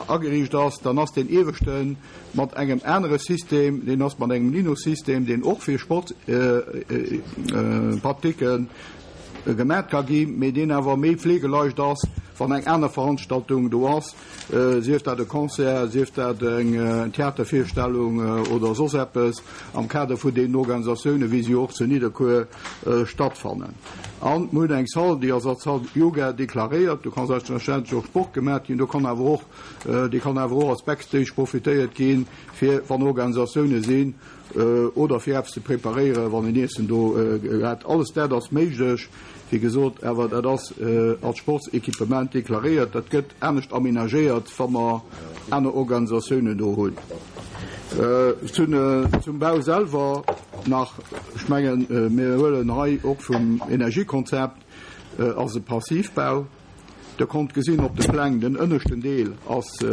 ageriicht ass, dann ass deen ieweschten mat engem anere System, deen ass mat engem Lino-System, deen och fir Sportpratiken gemat ka ginn, mee deen awer méi fleegeleicht ass, wann eng aner Veranstaltung do ass, sief dat e Concert, sief dat eng Theatervirstellung oder soss eppes am Kader vun deenen Organisatiounen, wéi se jo och zu Nidderkuer stattfannen. An mir hunn eng Salle, déi ass als Salle Yoga deklaréiert, do ka selbstverständlech och Sport gemat ginn, do kann awer och Dee kann awer och als Backstage profitéiert ginn, fir wann Organisatioune sinn oder fir eppes ze preparéieren, wann een Iessen do hat. Alles dat ass méiglech, wéi gesot, awer dat ass als Sportsequipement deklaréiert. Dat gëtt anescht amenagéiert, wa mer aner Organisatiounen do hunn. Zum Bau selwer nach, ech mengen, mir huelen hei och vum Energiekonzept, ass e Passivbau. Der konnt gesinn op de Pläng, den ënneschten Deel ass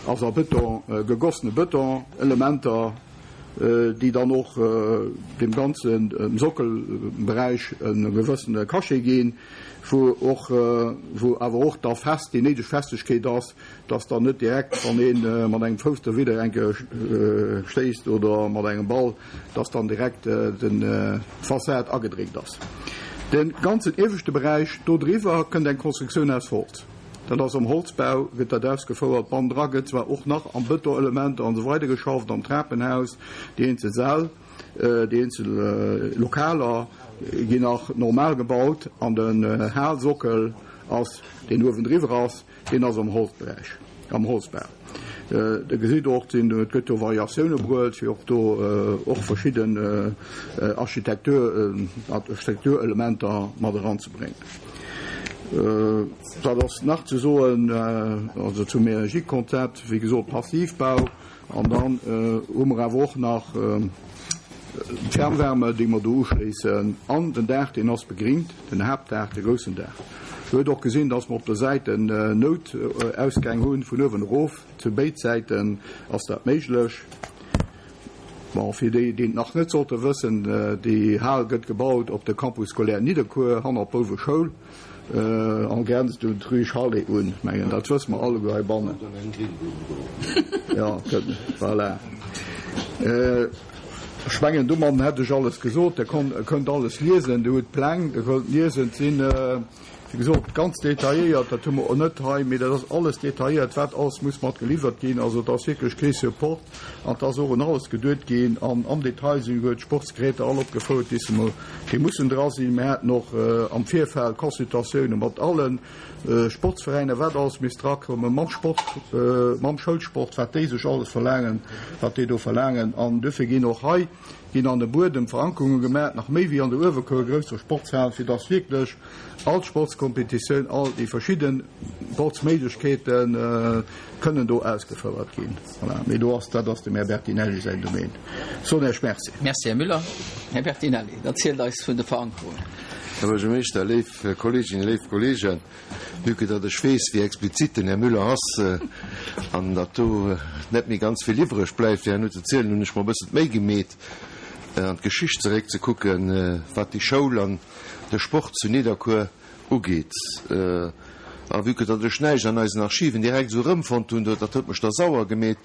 ass a Bëton, gegossene Bëton, Elementer, déi dann och deem ganzen Sockelberäich e gewëssene Cachet ginn, wou och, wou awer och da fest déi néideg Festegkeet ass, dass dann net direkt, wann ee mat engem Fouss derwidder eng Kéier stéisst oder mat engem Ball, dass dann direkt d'Fassad agedréckt ass. De ganzen ieweschte Beräich do driwwer kënnt eng Konstruktioun aus Holz. Dat ass am Holzbau gëtt dat ausgefouert. Bannendra gëtt zwar och nach am Bëtonelementer an esou weider geschafft, am Trapenhaus, déi eenzel Säll, déi eenzel Lokaler ginn nach normal gebaut an den Halsockel ass, deen uewendriwwer ass, Deen ass am Holzberäich, am Holzbau. Der gesitt och, et gëtt do Variatioune bruet, fir och do och verschidden Architektur, Architekturelementer mat eranzebréngen. Wat ass nach ze soen, also zum Energiekonzept, wéi gesot Passivbau. An dann hu mer awer och nach d'Fernwärme, déi mer do uschléissen. An den Daach, deen ass begringt, den Haaptdaach, de groussen Daach. Dir hutt och gesinn, dass mer op der Säit en Noutausgäng hunn, vun uewen erof. Zu béid Säiten ass dat méiglech. Bon, fir déi, déi et nach net sollte wëssen, déi Hal gëtt gebaut op de Campus scolaire Nidderkuer, hannert d'Bouweschoul. En grenzt un d'Rue Chalet un, mengen dat wësse mer alleguer heibannen. Jo, voilà. Ech mengen, domadden hätt ech alles gesot. Der kënnt alles liesen, Dir hutt d'Pläng, Der kënnt liesen. Et sinn, wéi. Wéi gesot, ganz detailléiert, dat hu mer och net hei, mee dat ass alles detailléiert, wat alles muss mat geliwwert ginn. Also et ass wierklech kee Support an et ass och un alles geduet ginn an am Detail sinn esouguer d'Sportsgeräter all opgefouert, déi se mol, déi mussen dra sinn. Mir haten och am Virfeld Consultatioune mat alle Sportsveräiner, wat alles misst drakommen, mam Sport, mam Schoulsport, wat déi sech alles verlaangen, wat déi do verlaangen. An duerfir ginn och hei ginn an de Buedem Verankerunge gemaach, nach méi wéi an der Uewerkuer grousser Sportshal, fir dass wierklech all d'Sportskompetitioun, all déi verschidde Sportsméiglechkeete kënnen do ausgefouert ginn. Voilà. Mee do ass, dat ass dem Här Bertinelli säin Domaine. Ech soen Iech Merci. Merci, Här Müller. Här Bertinelli, erzielt eis vun de Verankerungen. Här Buergermeeschter, léif Kolleeginnen, léif Kolleegen, vue que datt ech weess, wéi explizit den Här Müller ass an datt do net méi ganz vill iwwreg bleift, fir herno ze zielen, hunn ech mer e bëssen d'Méi gemeet, an d'Geschicht zeréckzekucken, wat déi Schoul an de Sport zu Nidderkuer ugeet. A vue que datt ech näischt an eisen Archiven direkt esou erëmfonnt hunn, dat huet mech da sauer gemeet,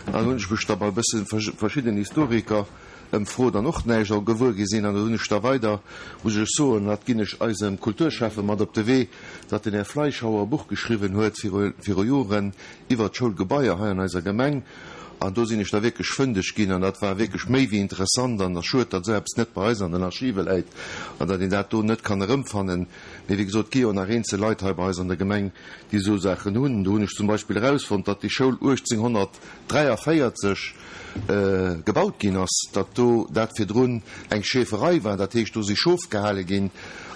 an hunn ech mech da bei e bësse verschidden Historiker ëmfrot an och näischt all gewuer gi sinn. An da hunn ech da weider, muss ech soen, dat ginn ech eisem Kulturschäffe mat op de Wee, datt den Här Fleischhauer e Buch geschriwwen huet viru Joren iwwert d'Schoulgebaier hei an eiser Gemeng. An do sinn ech da wierklech fëndeg ginn an dat war wierklech méi wéi interessant an ass schued, datt esou eppes net bei eis an den Archive läit an datt een dat do net kann erëmfannen. Mee wéi gesot, et gi jo nach eenzel Leit hei bei eis an der Gemeng, déi esou Saachen hunn. Do hunn ech zum Beispill erausfonnt, datt déi Schoul 1843 gebaut ginn ass, datt do dat virdrun eng Schäferei war, dat heescht do si Schof gehale ginn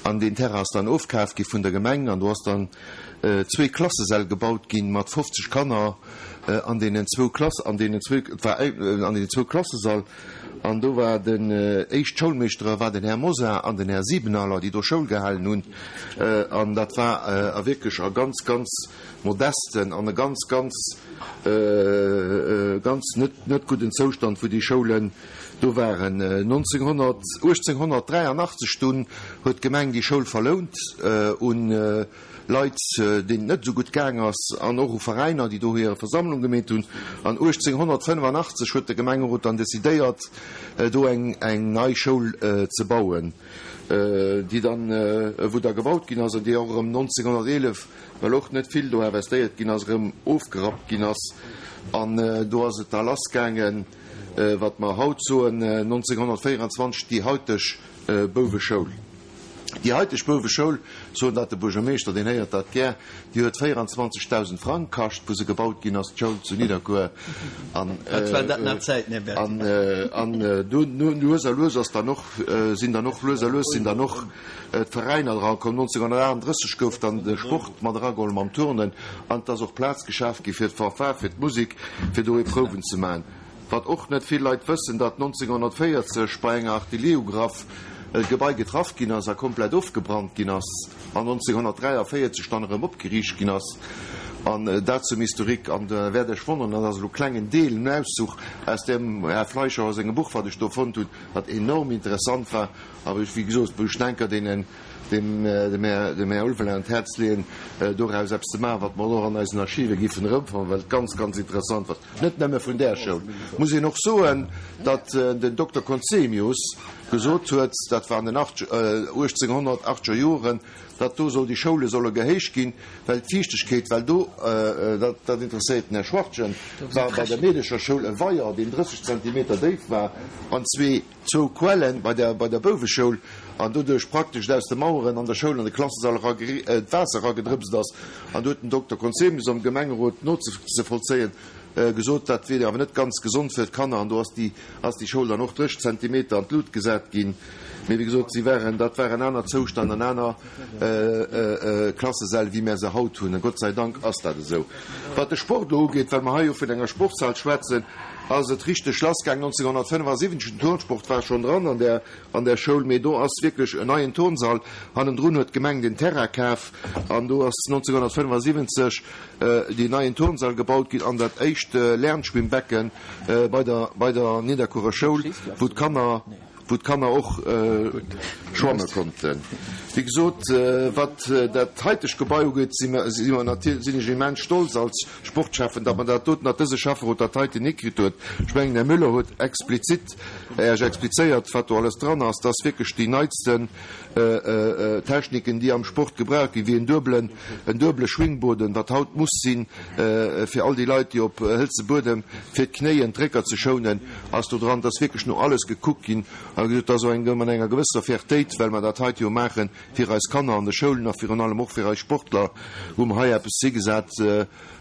an deen Terrain ass dann ofkaf gi vun der Gemeng an do ass dann zwee Klassesäll gebaut ginn mat 50 Kanner an deenen zwou Klass, an deenen zwou, et war an deenen zwou Klassesall, an do war den éischt Schoulmeeschtere war den Här Mosar an den Här Siebenaler, déi do Schoul gehalen hunn, an dat war a wierklech a ganz, ganz modesten an e ganz, ganz, ganz net, net gudden Zoustand, wou déi Schoulen do waren. 1900, 1883 dunn huet d'Gemeng déi Schoul verlount un Leit, deenen et net esou gutt gaang ass, an och u Veräiner, déi do hir Versammlung gemeet hunn. An 1885 huet de Gemengerot dann decidéiert, do eng nei Schoul ze bauen, déi dann, wou da gebaut ginn ass an déi och erëm 1911, well och net vill do investéiert ginn ass, erëm ofgerappt ginn ass. An do ass et da lassgaangen, wat mer haut soen, 1924 déi hauteg Bouweschoul. Déi haiteg Bouweschoul, soen dat de Buergermeeschter, deen héiert dat gär, déi huet 24.000 Frang kascht, wou se gebaut ginn ass, d'Schoul zu Nidderkuer. An Dat war dat nach Zäiten, Här Bertinelli. An dunn lues a lues ass dann och, sinn dann och lues a lues sinn dann och d'Veräiner dra komm. 1938 gouf dann de Sport mat erageholl mam Turnen an et ass och Plaz geschaf gi fir d'Fanfare, fir d'Musek, fir do Eprouven ze maachen. Wat och net vill Leit wëssen, datt 1940 bei enger Artillerieugraff d'Gebai getraff ginn ass a komplett ofgebrannt ginn ass an 1943 dann erëm opgeriicht ginn ass. An dat zum Historique. An der wäert Iech wonneren, dat ass elo klengen Deel, en Auszuch aus dem Här Fleischhauer sengem Buch, wat ech do fonnt hunn, wat enorm interessant war a wou ech, wéi gesot, wou ech denker deenen, dem dem Här Ulveling an d'Häerz leeën, doraus eppes ze maachen, wat mer och an eisen Archive giffen erëmfannen, well et ganz, ganz interessant war. Net nëmme vun där Schoul. Muss een och soen, datt den Dokter Conzemius gesot huet, dat war an den 1880er Joren, datt do soll déi Schoule solle gehéicht ginn, well d'Fiichtegkeet, well do, dat dat interesséiert den Här Schwachtgen, war bei der Meedecherschoul e Weier, deen 30 Zentimeter déif war, an zwee, zwou Quellen bei der bei der Bouweschoul, an doduerch praktesch aus de Maueren an der Schoul an de Klassesall era d'Waasser eragedrëpst ass. An do huet den Dokter Conzemius am Gemengerot nozevollzéien gesot, dat wier awer net ganz gesond fir d'Kanner. An do ass déi ass déi Schoul dann och 30 Zentimeter an d'Lut gesat ginn. Mee wéi gesot, si waren, dat waren aner Zoustänn an aner Klassesäll wéi mär se haut hunn. A Gott sei Dank ass dat esou. Wat de Sport elo ugeet, well mer hei jo vun enger Sportshal schwätzen, ass et richteg lassgaang 1975. Den Turnsport war schonn dran an där an där Schoul, mee do ass wierklech en neien Turnsall. Hannendrun huet d'Gemeng den Terrain kaf an do ass 1975 deen neien Turnsall gebaut ginn an dat éischt Lernschwimmbecken bei der bei der Nidderkuerer Schoul, wou d'Kanner wou d'Kanner och schwamme konnten. Wéi gesot, wat dat haitegt Gebai ugeet, si mer si mer natierlech sinn ech immens stolz als Sportschäffen, datt mer dat doten, datt dëse Schäfferot dat heiten hikritt huet. Ech mengen, den Här Müller huet explizit Iech explizéiert, wat do alles dran ass. Dat ass wierklech déi neitsten. Techniken, déi am Sport gebraucht ginn, wéi en duebelen, en duebele Schwingboden, wat haut muss sinn, fir all déi Leit, déi op hëlze Buedem, fir d'Knéien, d'Récker ze schounen, ass do dran. Et ass wierklech no alles gekuckt ginn a gesot, et ass och eng, mat enger gewësser Fiertéit, well mer dat heite jo maache fir eis Kanner an de Schoulen a virun allem och fir eis Sportler, wou mer hei eppes higesat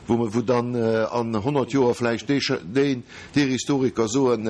wou mer, wou dann an 100 Joer vläicht dee, deen, deer Historiker soen,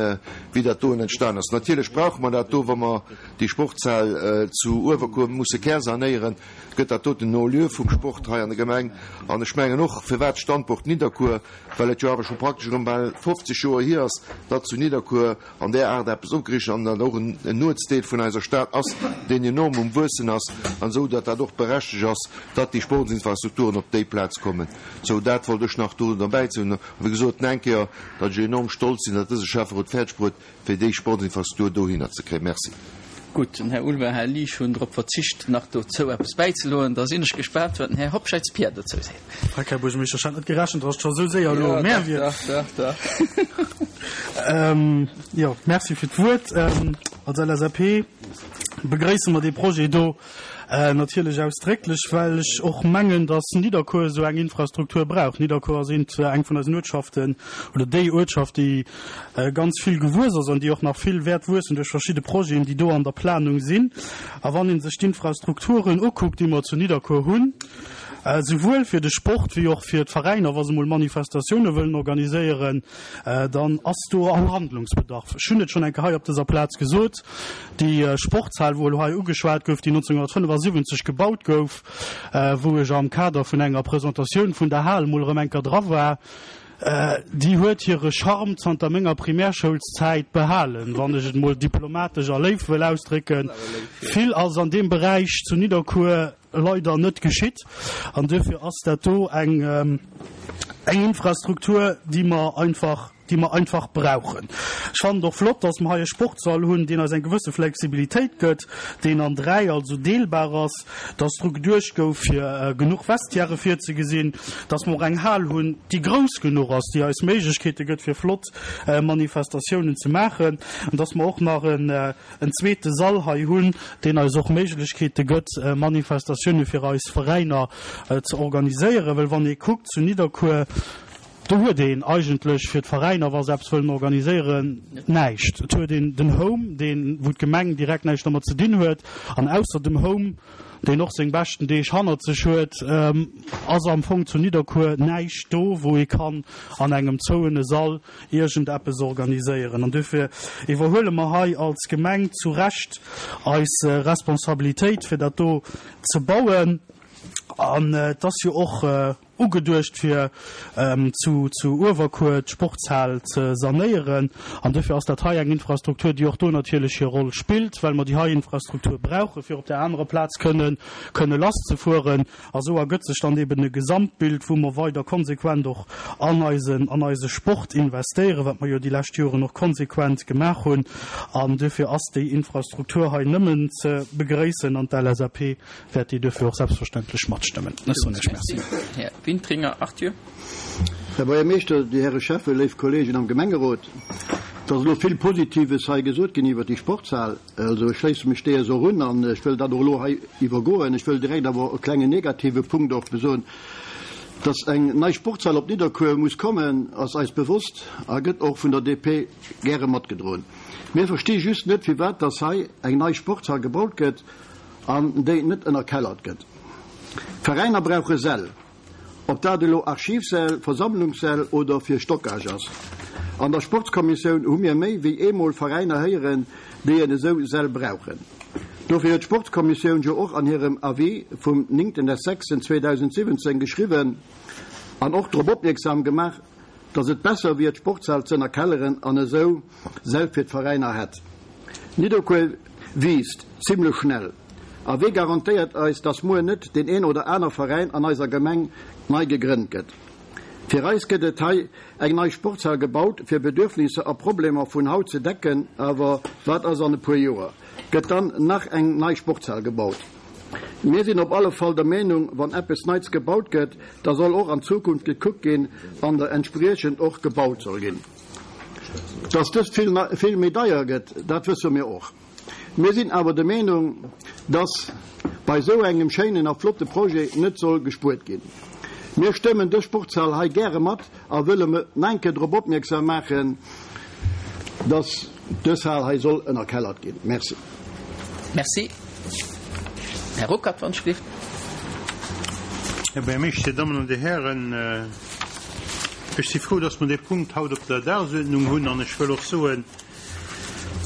wéi dat doen entstan ass. Natierlech brauche mer dat do, wa mer déi Sportshal zu Uewerkuer musse kärsanéieren, gëtt dat doten en Haut-lieu vum Sport hei an der Gemeng. An ech mengen och, firwat Standport Nidderkuer, well et jo awer scho praktesch erëm bal 50 Joer hier ass, datt zu Nidderkuer an där Aart eppes opgeriicht an dat och en Nuetsdeel vun eiser Stad ass, deen enorm um Wuessen ass, an esou datt dat och berechtegt ass, datt déi Sportsinfrastrukturen op déi Plaz kommen. Sou, dat wollt ech nach do derbäi soen. A wéi gesot, nach eng Kéier, datt ech enorm stolz sinn, datt dëse Schäfferot fäerdeg bruet, fir déi Sportsinfrastruktur dohinner ze kréien. Merci. Gutt, den Här Ulver, Här Liesch hunn drop verzicht, nach dozou eppes bäizeloen. Da sinn ech gespaant, wat den Här Hobscheit Pierre dozou seet. Freck, Här Buergermeeschter, ech hat net gerechent, dass et scho sou séier elo mär wier. Dach, dach, dach. Jo, merci fir d'Wuert. Als LSAP begréisse mer dee Projet do natierlech ausdrécklech, well ech och mengen, dass Nidderkuer esou eng Infrastruktur brauch. Nidderkuer ass eent, eng vun eisen Uertschaften oder déi Uertschaft, déi ganz vill gewuess ass an déi och nach vill wäert wuessen duerch verschidde Projeten, déi do an der Planung sinn. A wann ee sech d'Infrastrukturen ukuckt, déi mer zu Nidderkuer hunn, Souwuel fir de Sport wéi och fir d'Veräiner, wa se mol Manifestatioune wëllen organiséieren, dann ass do all Handlungsbedarf. Ech hunn et schonn eng Kéier hei op dëser Plaz gesot, déi Sportshal, wou elo hei ugeschwat gouf, déi 1975 gebaut gouf, wou ech am Kader vun enger Presentatioun vun der Hal mol erëm eng Kéier dra war, déi huet hire Charme zanter menger Primärschoulszäit behalen, wann ech et mol diplomatesch a léif wëll ausdrécken. Vill ass an deem Beräich zu Nidderkuer leider net geschitt an duerfir ass dat do eng eng Infrastruktur, déi mer einfach, déi mer einfach brauchen. Ech fannen et och flott, dass mer hei e Sportssall hunn, deen eis eng gewësse Flexibilitéit gëtt, deen an 3, also deelbar ass, dass dru geduecht gouf, fir genuch Vestiairë virzegesinn, dass mer och eng Hal hunn, déi grouss genuch ass, déi eis Méiglechkeete gëtt, fir flott Manifestatiounen ze maachen an dass mer och nach en en zweete Sall hei hunn, deen eis och Méiglechkeete gëtt, Manifestatioune fir eis Veräiner ze organiséieren. Well wann ee kuckt zu Nidderkuer, do huet een eigentlech fir d'Veräiner, wa se eppes wëllen organiséieren, näischt. Et huet een den Home, deen, wou d'Gemeng direkt näischt dermat ze dinn huet. An ausser dem Home, deen och seng beschten Deeg hannert sech huet, ass am Fong zu Nidderkuer näischt do, wou ee kann an engem zouene Sall iergend eppes organiséieren. An duerfir iwwerhuele mer hei als Gemeng zu Recht eis Responsabilitéit, fir dat do ze bauen. An et ass jo och ugeduecht, fir zu zu Uewerkuer d'Sportshal ze sanéieren. An duerfir ass dat hei eng Infrastruktur, déi och do natierlech hir Roll spillt, well mer déi hei Infrastruktur brauchen, fir op där anerer Plaz kënnen kënne lasszefueren. A sou ergëtt sech dann eben e Gesamtbild, wou mer weider konsequent och an eisen, an eise Sport investéieren, wat mer jo déi lescht Joren och konsequent gemaach hunn. An duerfir ass déi Infrastruktur hei nëmmen ze begréissen an d'LSAP wäert déi duerfir och selbstverständlech matstëmmen. Ech soen Iech Merci. Här Wintringer Arthur. Här Buergermeeschter, Dir Häre Schäffen, léif Kolleegen am Gemengerot, et ass elo vill Positives hei gesot ginn iwwert déi Sportshal. Also ech schléisse mech deeër och un an ech wëll dat och elo hei iwwergoen. Ech wëll direkt awer e klengen negative Punkt och besoen. Dass eng nei Sportshal op Nidderkuer muss kommen, ass eis bewosst a gëtt och vun der DP gäre matgedroen. Mir versti just net, firwat dass hei eng nei Sportshal gebaut gëtt an déi net ënnerkellert gëtt. D'Veräiner brauche Säll. Ob dat elo Archivsäll, Versammlungssäll oder fir Stockage ass. An der Sportskommissioun hu mir méi wéi eemol Veräiner héieren, déi en esou Säll brauchen. Dofir huet d'Sportskommissioun jo och an hirem Avis vum 9.6.2017 geschriwwen an och drop opmierksam gemaach, dass et besser wier d'Sportshal z'ënnerkelleren an esou Säll fir d'Veräiner hätt. Nidderkuer wiisst zimlech schnell a wee garantéiert eis, dass muer net deen een oder aner Veräin an eiser Gemeng nei gegrënnt gëtt? Fir eis gëtt et hei eng nei Sportshal gebaut fir Bedürfnisser a Problemer vun haut ze decken, awer wat ass an e puer Joer? Gëtt dann nach eng nei Sportshal gebaut? Mir sinn op alle Fall der Meenung, wann eppes Neits gebaut gëtt, da soll och an Zukunft gekuckt ginn an der entspriechend och gebaut soll ginn. Dass dëst vill méi deier gëtt, dat wësse mir och. Mir sinn awer der Meenung, dass bei esou engem schéinen a flotte Projet net soll gespuert ginn. Mir stëmmen dës Sportshal hei gäre mat a wëlle nach eng Kéier drop opmierksam maachen, dass dës Hal hei soll ënnerkellert ginn. Merci. Merci. Här Ruckert, wann ech gelift. Här Buergermeeschter, Dir Dammen an Dir Hären, ech si frou, dass mer dee Punkt haut op der Dagesuerdnung hunn an ech wëll och soen,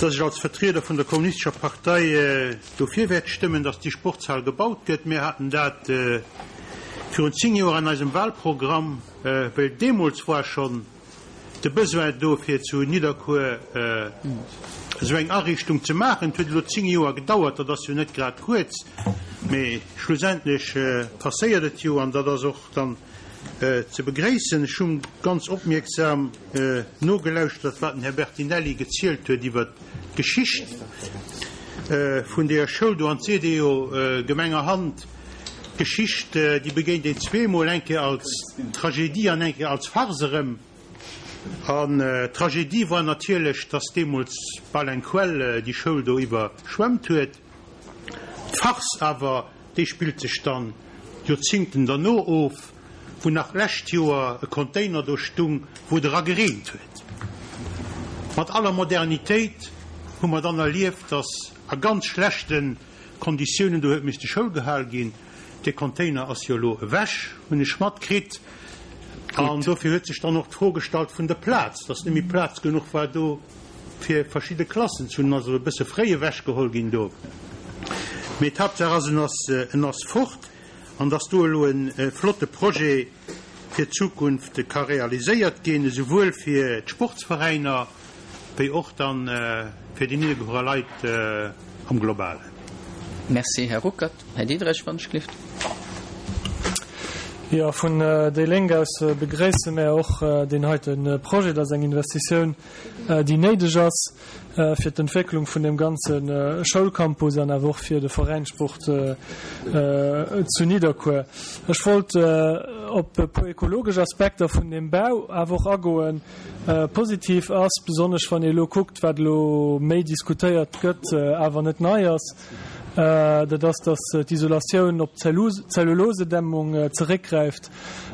dass ech als Vertrieder vun der Kommunistescher Partei dofir wäert stëmmen, dass déi Sportshal gebaut gëtt. Mir haten dat virun 10 Joer an eisem Wahlprogramm, well deemools war schonn de Besoin do, fir zu Nidderkuer esou eng Ariichtung ze maachen. Et huet elo 10 Joer gedauert, dat ass jo net grad kuerz, mee schlussendlech passéiert et jo an dat ass och dann ze begréissen. Ech hu ganz opmierksam nogelauschtert, wat den Här Bertinelli gezielt huet iwwert d'Geschicht vun deeër Schoul do. An et seet ee jo gemengerhand, d'Geschicht, déi begéint een zweemol, eng Kéier als Tragedie an eng Kéier als Farce erëm. An d'Tragedie war natierlech, dass deemools bal eng Quell déi Schoul do iwwerschwemmt huet. D'Farce awer, déi spillt sech dann Joerzingten derno of, wou nach d'lescht Joer e Container do stung, wou et era gereent huet. Mat aller Modernitéit hu mer dann erlieft, dass a ganz schlechte Konditiounen do huet misste Schoul gehal ginn. Dee Container ass jo elo ewech, hunn ech matkritt. An dofir huet sech dann och d'Fro gestallt vun der Plaz, dass net méi Plaz genuch war do fir verschidde Klassen ze hunn. En ass also e bësse fréi ewechgeholl ginn do. Mee d'Haaptsaach ass, en ass, en ass fort an dass do elo e flotte Projet fir d'Zukunft ka realiséiert ginn, esouwuel fir d'Sportsveräiner wéi och dann fir déi Nidderkuerer Leit am Globalen. Merci, Här Ruckert. Här Diderich, wann ech gelift. Jo, vun déi Lénk aus begréisse mär och deen heite Projet. Dat ass eng Investitioun, déi néideg ass fir d'Entwécklung vun deem ganze Schoulcampus an awer och fir de Veräinssport zu Nidderkuer. Ech wollt op e puer ekologesch Aspekter vun deem Bau awer och agoen. Positiv ass, besonnesch wann ee elo kuckt, wat elo méi diskutéiert gëtt, awer net nei ass, dat ass, datt d'Isolatioun op Zellulosedämmung zeréckgräift.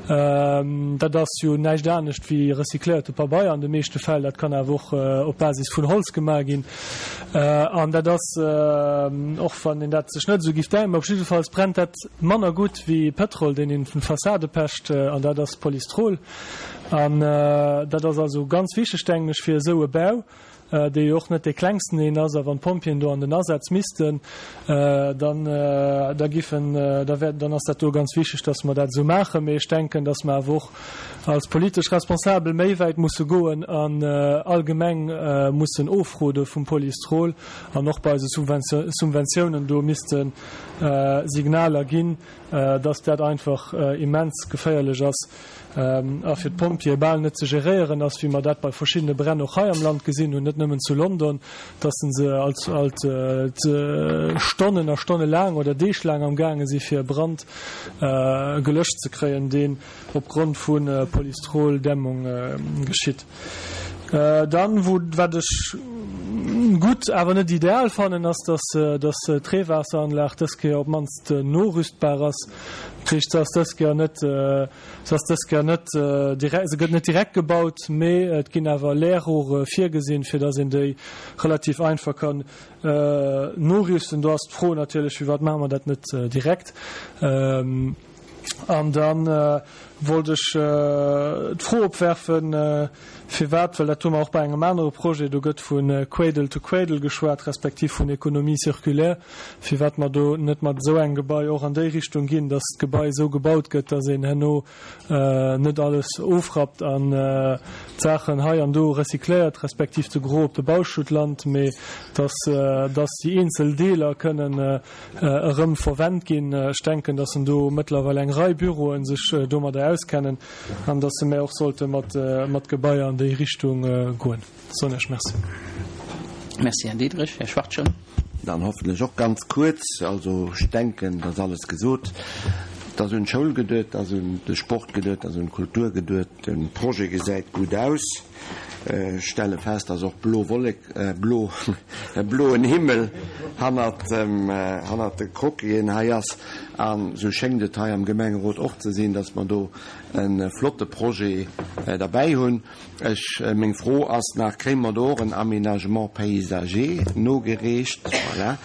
Dat ass jo näischt anescht wéi recycléierte Pabeier an de meeschte Fäll. Dat kann awer och op Basis vun Holz gemaach ginn. An dat ass, och wann een dat sech net esou giff denken, mä op jiddefalls brennt dat manner gutt wéi Pëtrol, deen een vun Fassade pecht, an dat ass Polystrol. An dat ass also ganz wichteg, denken ech, fir esou e Bau, dee jo och net dee klengsten een ass. A wann d'Pompjeeën do an den Asaz missten, dann, da giffen, da wär, dann ass dat do ganz wichteg, dass mer dat esou maachen. Mee ech denken, dass mer awer och als politesch Responsabel méi wäit musse goen an allgemeng mussen ofrode vum Polystrol an och bei eise Subventiounen do misste Signaler ginn, dass dat einfach immens geféierlech ass a fir d'Pompjeeë bal net ze geréieren ass, wéi mer dat bei verschiddene Bränn och hei am Land gesinn hunn, net nëmmen zu London, dass se alt alt Stonnen a Stonne laang oder Deeg laang am gaange si fir e Brand gelöscht ze kréien, deen opgrond vu Polystrol-Dämmung geschitt. Dann, wou, wat ech gutt, awer net ideal fannen, ass, dass, dass d'Reewaasseranlag dës Kéier op d'mannst norüstbar ass. Dat heescht, se ass dës Kéier net, se ass dës Kéier net direkt, se gëtt net direkt gebaut, mee et ginn awer Leerrohre virgesinn, fir dass een déi relativ einfach kann norüsten. Do ass d'Fro natierlech, Firwat maache mer dat net direkt? An da wollt ech d'Fro opwerfen, firwat, well dat hu mer och bei engem anere Projet, do gëtt vu Cradle to Cradle geschwat, respektiv vun Économie circulaire, firwat mer do net mat esou engem Gebai och an déi Richtung ginn, dass d'Gebai esou gebaut gëtt, dass een herno net alles ofrappt an d'Saachen hei an do recycléiert, respektiv de Gros op de Bauschutt lant, mee dass dass déi eenzel Deeler kënnen erëm verwennt ginn. Ech denken, dass en do mëttlerweil eng Rei Büroe sech domadder auskennen an dass se mär och sollte mat mat Gebaier an déi Richtung goen. Soen ech Merci. Merci, Här Diderich. Här Schwachtgen. Dann hoffentlech och ganz kuerz. Also ech denken, et ass alles gesot. Et ass un d'Schoul geduet, et ass un de Sport geduet, et ass un d'Kultur geduet. De Projet gesäit gutt aus. Ech stelle fest, dass och blo Wollek, blo, e bloen Himmel hannert dem, hannert de Croquisen hei ass. An esou schéngt et hei am Gemengerot och ze sinn, dass mer do e flotte Projet derbäi hunn. Ech, meng Fro ass nach, Kréie mer do och en Aménagement paysager nogereecht? Voilà.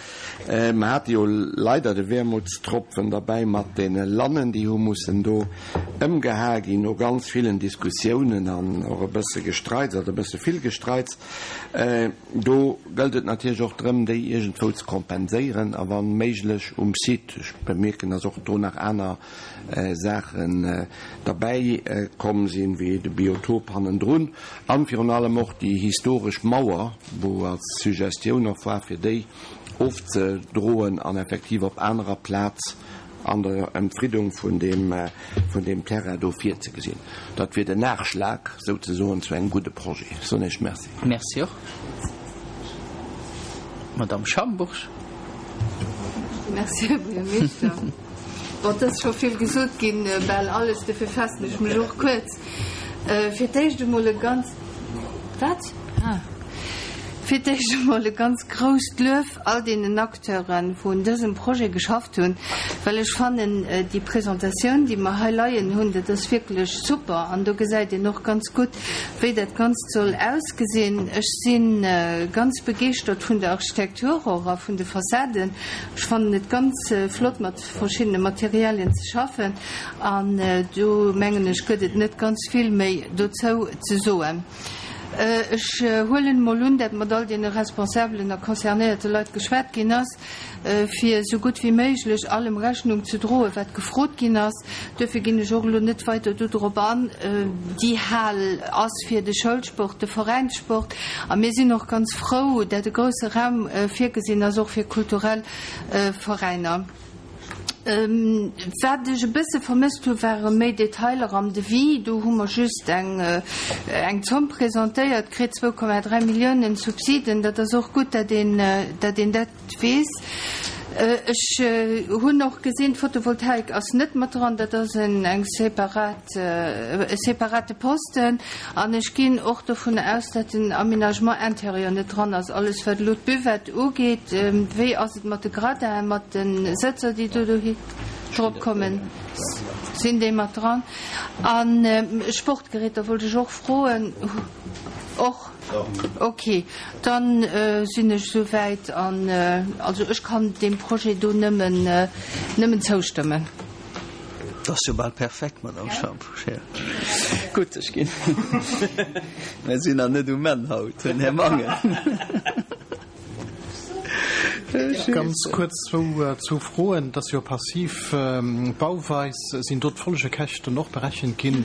Mer hate jo leider de Wermutstropfen derbäi mat deene Lannen, déi hu mussen do ëmgehae ginn no ganz villen Diskussiounen an och e bësse Gestreits, oder e bësse vill Gestreits. Do gëllt et natierlech och drëm, déi iergendwou ze kompenséieren a wa méiglech um Site. Ech bemierken, dass och do nach aner Saachen derbäi komm sinn, wéi de Biotop hannendrun an virun allem och déi historesch Mauer, wou als Suggestioun och war, fir déi ofzedroen an effektiv op anerer Plaz an der Emfriddung vun deem, vun deem Terrain do virzegesinn. Dat wier den Nachschlag souzesoen zu engem gudde Projet. Ech soen Iech Merci. Merci och. Madamm Schambourg. Merci, Här Buergermeeschter. Bon, et ass scho vill gesot ginn, bal alles, dofir faassen ech mech och kuerz. Fir d'éischt emol e ganz, wat? Ah. Fir d'éischt emol e ganz grousst Luef all deenen Acteuren, wou un dësem Projet geschafft hunn, well ech fannen, déi Presentatioun, déi mer hei leien hunn, dat ass wierklech super an do gesäit een och ganz gutt, wéi dat Ganzt soll ausgesinn. Ech si ganz begeeschtert vun der Architektur och a vun de Fassaden. Ech fannen et ganz flott mat verschiddene Materialien ze schaffen an do mengen ech gëtt et net ganz vill méi dozou ze soen. Ech huelen emol un, dat mat all deene responsabelen a concernéierte Leit geschwat ginn ass, fir esou gutt wéi méiglech allem Rechnung ze droen, wat gefrot ginn ass. Duerfir ginn ech och elo net weider do drop an. Déi Hal ass fir de Schoulsport, de Veräinssport a mir sinn och ganz frou, dat e grousse Raum virgesinn ass och fir kulturell Veräiner. Wat ech e bësse vermësst hu ware méi Detailer am Devis. Do hu mer just eng eng Zomm presentéiert kritt, 2,3 Milliounen Subsiden. Dat ass och gutt, dat een dat een dat weess. Ech hunn och gesinn, d'Photovoltaik ass net mat dran. Dat ass en eng separat e separate Posten. An ech ginn och dovun aus, dat den Aménagement intérieur net dran ass. Alles wat elo d'Buvette ugeet, wéi ass et mat de Gradinen, mat de Sëtzer, déi do dohi drop kommen, sinn déi mat dran? A Sportgeräter wollt ech och froen. Och? Ok, dann sinn ech esouwäit an also ech kann deem Projet do nëmmen, nëmmen zoustëmmen. Dat ass jo bal perfekt, Madame Schamp-Scheer. Gutt, ech ginn. Mir sinn nach net um Enn haut, Här Mangen. Ganz kuerz zwou Froen. Et ass jo passiv Bauweis. Sinn do d'Folgekäschten och berechent ginn,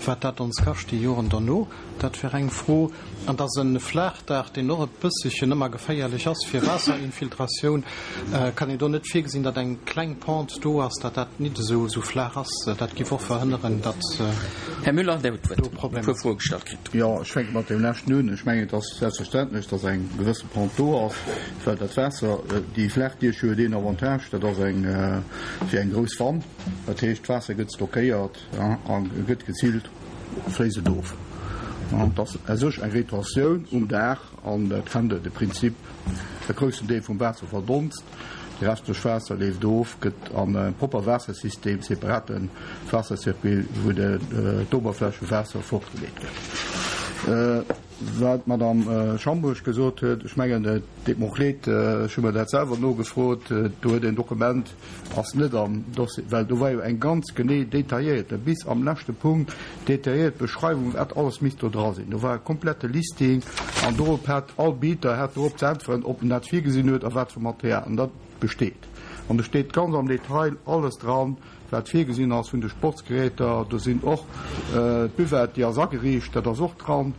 wat dat ons kascht déi Joren derno? Dat wär eng Fro. An et ass e Flaachdaach, deen och e bësselchen ëmmer geféierlech ass fir Waasserinfiltratioun. Kann een do net virgesinn, datt eng kleng Pente do ass, datt dat nit esou flaach ass? Dat giff och verhënneren, datt Här Müller, Dir hutt d'Wuert. do Problemer E puer Froe gestallt kritt. Jo, ech fänke mat deem leschten un. Ech mengen, et ass selbstverständlech, datt eng gewësse Pente do ass, well dat Waasser, déi Flaachdiech huet een Avantage, dat ass eng wéi eng grouss Wann. Dat heescht, d'Waasser gëtt stockéiert a gëtt geziilt. Fléisst et of. Et ass u sech eng Retentioun um Daach an dat kennt Der, de Prinzip, e groussen Deel vum Waasser verdonst, de restlech Waasser leeft of, gëtt an e propper Waassersystem, separate Waassercircuit, wou d'Oberflächewaasser fortgeleet gëtt. Wat d'Madame Schambourg gesot huet, ech mengen, et deet mer och leed, ech hu mer dat selwer nogefrot, do huet een Dokument, ass net am Dossier, well do war jo eng ganz genee detailléierte, bis am leschte Punkt detailléiert Beschreiwung, wat alles misst do dra sinn. Do war e komplette Listing an dorop hat all Bieter hat dorop ze äntweren, ob en dat virgesinn huet a wat fir Material. An dat besteet. An do steet ganz am Detail alles dran, wat virgesinn ass vun de Sportsgeräter. Do sinn och d'Buvette, déi ass ageriicht, dat ass och dran.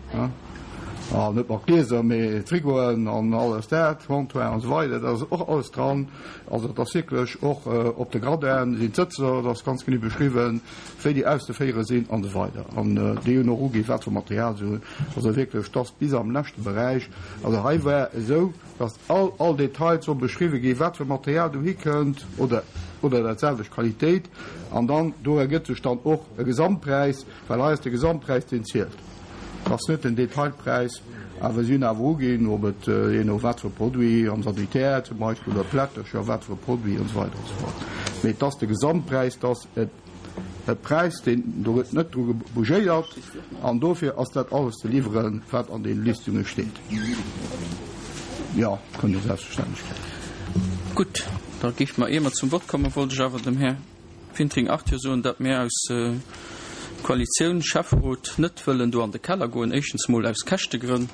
An net mat Glieser, mee Frigoen an alles dat, Comptoir an esou weider, dat ass och alles dran. Also et ass wierklech och op de Gradin sinn d'Sëtzer, et ass ganz genee beschriwwen, wéi déi auszeféiere sinn an esou weider. An déi hunn och uginn, wat fir Material se hunn. Also wierklech, et ass bis am leschte Beräich. Also hei war esou, dass all, all Detail soll beschriwwe ginn, wat fir Material dohi kënnt oder, oder dat selwecht Qualitéit. An dann, do ergëtt sech dann och e Gesamtpräis, well hei ass de Gesamtpräis, deen zielt. Et ass net den Detailpräis, awer si hunn awer uginn, ob et, jee no wat fir e Produit, am Sanitär zum Beispill oder Plättercher, wat fir e Produit an esou weider an esou fort. Mee et ass de Gesamtpräis, et ass e Präis, deen, do gëtt net dru bougéiert an dofir ass dat alles ze liwweren, wat an deene Listunge steet. Jo, kënnt Dir selbstverständlech kréien. Gutt, da géife mer, ier mer zum Vott kommen, wollt ech awer dem Här Wintring Arthur soen, datt mir aus Koalitioun, Schäfferot net wëllen do an de Keller goen. Éischtens mol aus Käschtegrënn,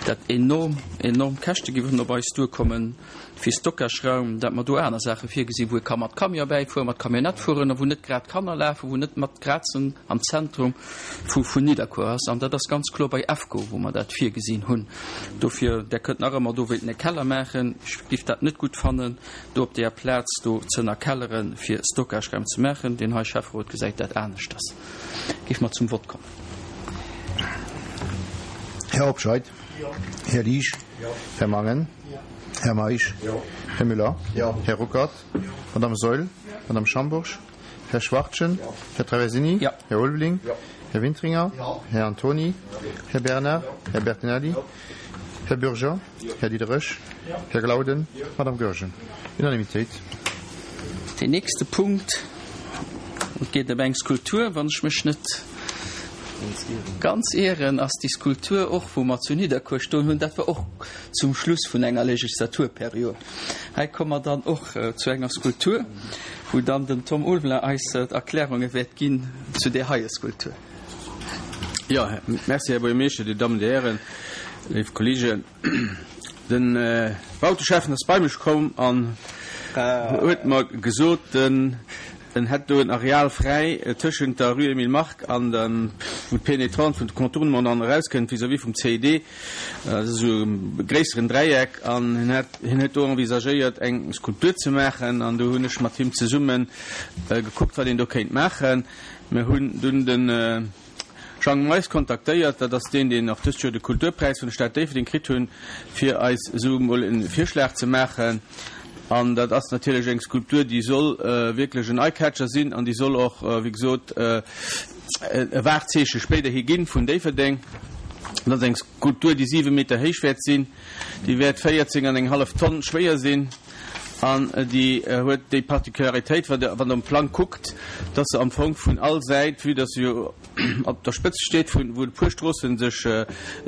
dat enorm, enorm Käschte géifen op eis duerkommen fir Stockageraum, dat mer do aner Saache virgesinn, wou ee ka mat Camion bäifueren, mat Camionnette fueren a wou net grad Kanner lafen, wou net mat grad am Zentrum vu vun Nidderkuer ass. An dat ass ganz kloer bei EFCO, wou mer dat virgesinn hunn. Dofir, Der kënnt nach ëmmer do wéilten e Keller maachen. Ech géif dat net gutt fannen. do op deeër Plaz do z'ënnerkellere fir Stockageraum ze maachen. Deen hei Schäfferot gesäit dat aneschters. Géife mer zum Vott kommen. Här Hobscheit. Här Liesch. Här Mangen. Här Meisch. Här Müller. Här Ruckert. Madame Saeul. Madame Schambourg. Här Schwachtgen. Här Traversini. Här Ulveling. Här Wintringer. Här Antony. Här Bernard. Här Bertinelli. Här Bürger. Här Diderich. Här Glauden. Madame Goergen. Unanimitéit. Deen nächste Punkt, et geet ëm eng Skulptur, wann ech mech net ganz ieren, ass déi Skulptur och, wou mer zu Nidderkuer stoen hunn. Dat war och zum Schluss vun enger Legislaturperiod. Hei komme mer dann och zu enger Skulptur, wou dann den Tom Ulveler eis d'Erklärunge wäert ginn zu där heie Skulptur. Jo, merci, Här Buergermeeschter, Dir Dammen, Dir Hären, léif Kollegen. De Bauteschäffen ass bei mech komm an huet mer gesot, en hätt do en Areal fräi tëschent der Rue Emile Mark an dem, wou d'Pénétrante vun de Contournement dann erauskënnt vis-à-vis vum CID. Dat ass esou e gréisseren Dräieck an hien hätt, hien huet do envisagéiert eng Skulptur ze maachen an do hunn ech mat him zesumme gekuckt, wat een do kéint maachen. Mir hunn dunn de Jang Meis kontaktéiert, dat ass deen, deen och dëst Joer de Kulturpräis vun der Stad Déifferdeng kritt hunn, fir eis esou emol e Virschlag ze maachen. An dat ass natierlech eng Skulptur, déi soll wierklech en Eye-Catcher sinn an déi soll och, wéi gesot, e Wahrzeeche spéiderhi ginn vun Déifferdeng. Dat ass eng Skulptur, déi siwe Meter héich wäert sinn, déi wäert 14 an eng hallef Tonn schwéier sinn. An déi huet déi Particularitéit, wann Der um Plang kuckt, dass se am Fong vun all Säit, vue dass se jo op der Spëtzt steet, vun wou e puer Stroosse sech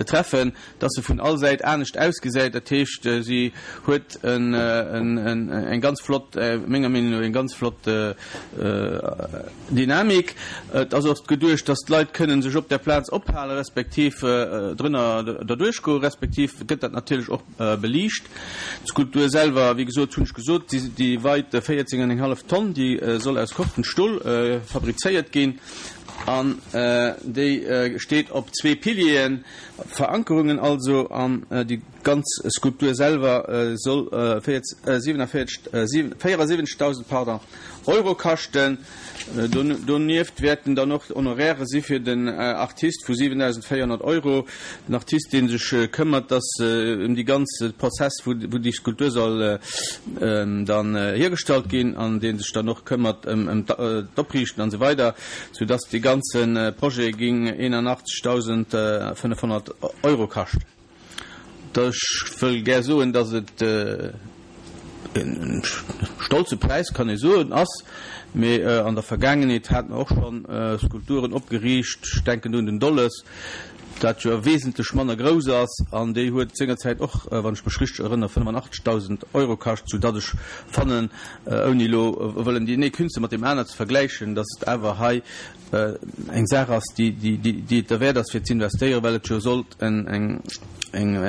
treffen, dass se vun all Säit anescht ausgesäit. Dat heescht, si huet eng ganz flott, menger Meenung no, eng ganz flott Dynamik. Et ass och geduecht, dass d'Leit kënnen sech op där Plaz ophalen, respektiv drënner derduerch goen, respektiv gëtt dat natierlech och Beliicht. D'Skulptur selwer, wéi gesot, hunn ech gesot, déi weit 14 an eng hallef Tonn, déi soll aus Cortenstol fabrizéiert ginn an déi steet op zwee Pilieren, Verankerungen also, an déi ganz Skulptur selwer soll 47, 74.000, pardon, Euro kaschten. Donieft wäerten dann och Honoraire si fir den Artist vu 7.400 Euro. Den Artist, dee sech këmmert, dass ëm déi ganz Prozess, wou déi Skulptur soll dann hiergestallt ginn an dee sech dann och këmmert ëm d'Opriichten an esou weider, sou dass dee ganze Projet géing 81.500 Euro kaschten. Ech wëll gär soen, dass et e stolze Präis, kann ee soen, ass. Mee an der Vergaangenheet hate mer och schonn Skulpturen opgeriicht, ech denken do un den Dolles, dat jo wesentlech manner grouss ass, an déi huet sengerzäit och, wann ech mech richteg erënnere, 85.000 Euro kascht, soudatt ech fannen, ouni elo wëllen deen ee Künstler mat deem aner ze vergläichen, dass et awer hei eng Saach ass, déi et derwäert ass fir z'investéieren, well et jo sollt eng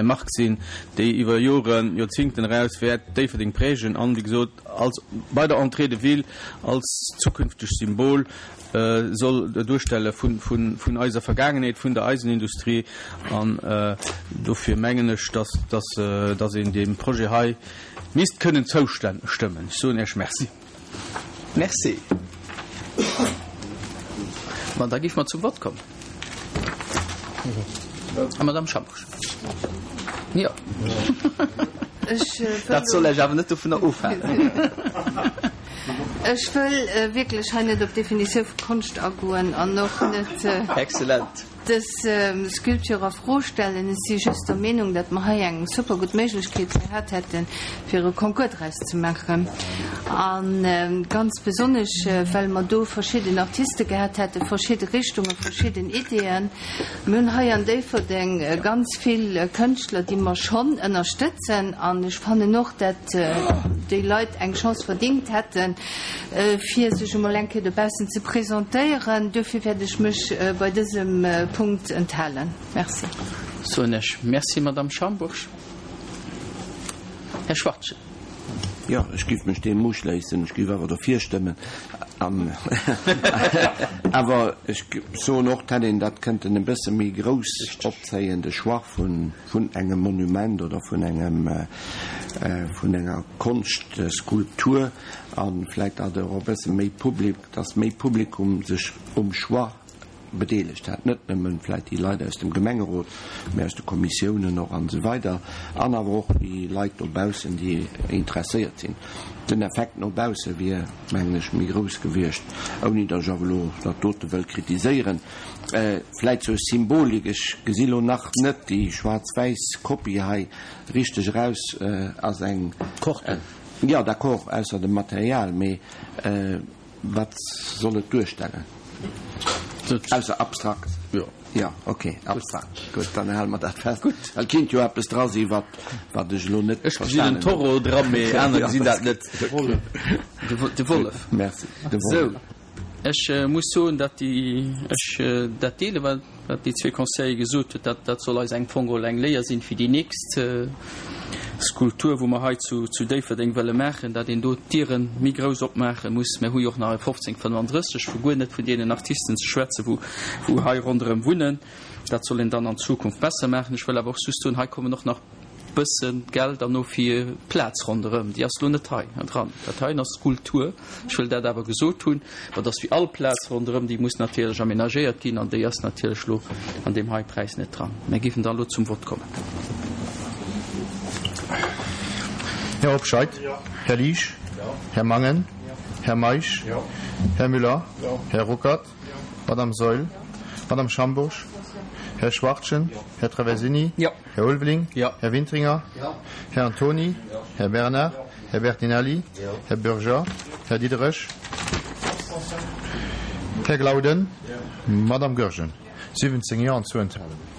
Mark sinn, déi iwwer Joren, Joerzingten eraus wäert Déifferdeng prägen an, wéi gesot. als bei der Entrée de ville als zukünfteg Symbol soll duerstelle vun eiser Vergaangenheet, vun der Eisenindustrie. An dofir mengen ech, dass een deem Projet hei misst kënnen zoustëmmen. Ech soen Iech Merci. Merci. Ma da géife mer zum Vott kommen. A Madame Schambourg. Jo. Dat soll Iech awer net dovunner ofhalen. Ech wëll wierklech hei net op d'Definitioun vu Konscht agoen an och net. Excellent. Dës Sculpture a Fro stellen. Ech si just der Meenung, datt mer hei eng super gutt Méiglechkeet gehat hätten, fir e Concours draus ze maachen. A ganz besonnesch, well mer do verschidden Artiste gehat hätten, verschidde Richtungen, verschidden Ideeën. Mir hunn hei an Déifferdeng ganz vill Kënschtler, déi mer schonn ënnerstëtzen. An ech fannen och, datt déi Leit eng Chance verdingt hätten, fir sech emol eng Kéier dobaussen ze presentéieren. Duerfir wäert ech mech bei dësem Punkt enthalen. Merci. Soen ech Merci, Madamm Schambourg. Här Schwachtgen. Jo, ech géif mech deem uschléissen. Ech géif awer derfir stëmmen. An awer ech soen och, d'hätt een dat kënnten e bësse méi grouss opzéien, de Choix vun vun engem Monument oder vun engem vun enger Konschtskulptur. A vläit datt och e bësse méi Public, datt méi Publikum sech um Choix bedeelegt hätt, net nëmmen vläit déi Leit aus dem Gemengerot, mä aus de Kommissiounen och an esou weider an awer och déi Leit dobaussen, déi interesséiert sinn. Den Effekt no bausse wier, mengen ech, méi grouss gewiescht, ouni datt ech awer elo dat dote wëll kritiséieren. Vläit zur Symbolik, ech gesi lo nach net déi schwaarz-wäiss Kopie hei richteg eraus, ass eng. Corten. Jo, d'accord, ausser dem Material, mee wat soll et duerstellen? Ausser abstrakt. Jo. Jo, ok, abstrakt. Gutt, dann hale mer dat fest. Gutt. Well et kéint jo eppes dra sinn, wat, wat ech elo net Ech gesinn en verstanen hunn. Toro dra, mee aner gesinn dat net. De Wollef. De Wollef. Merci, de Sou. Wollef. Ech muss soen, datt déi, ech dat deele wat wat déi zwee Conseiller gesot huet, dat dat soll eis eng Fong geholl eng Léier sinn fir déi nächst Skulptur, wou mer hei zu zu Déifferdeng wëlle maachen, datt een do d'Diere méi grouss opmaache muss. Mir hu jo och nach e 1535, vu guer net vun deenen Artisten ze schwätzen, wou wou hei ronderëm wunnen. Dat soll een dann an Zukunft besser maachen. Ech wëll awer och just soen, hei kommen och nach bëssen Geld an no fir d'Plaz ronderëm, déi ass lo net hei dran. Dat heien ass Skulptur, ech wëll dat awer gesot hunn, ma et ass wéi all Plaz ronderëm, déi muss natierlech aménagéiert ginn an déi ass natierlech lo an deem hei Präis net dran. Mir géifen dann elo zum Vott kommen. Här Hobscheit? Här Liesch? Här Mangen? Här Meisch? Här Müller? Här Ruckert? Madame Saeul, Madame Schambourg, Här Schwachtgen, Här Traversini, Här Ulveling, Här Wintringer, Här Antony, Här Bernard, Här Bertinelli, Här Bürger, Här Diderich, Här Glauden, Madame Goergen. 17 Jo an zwou Enthalungen.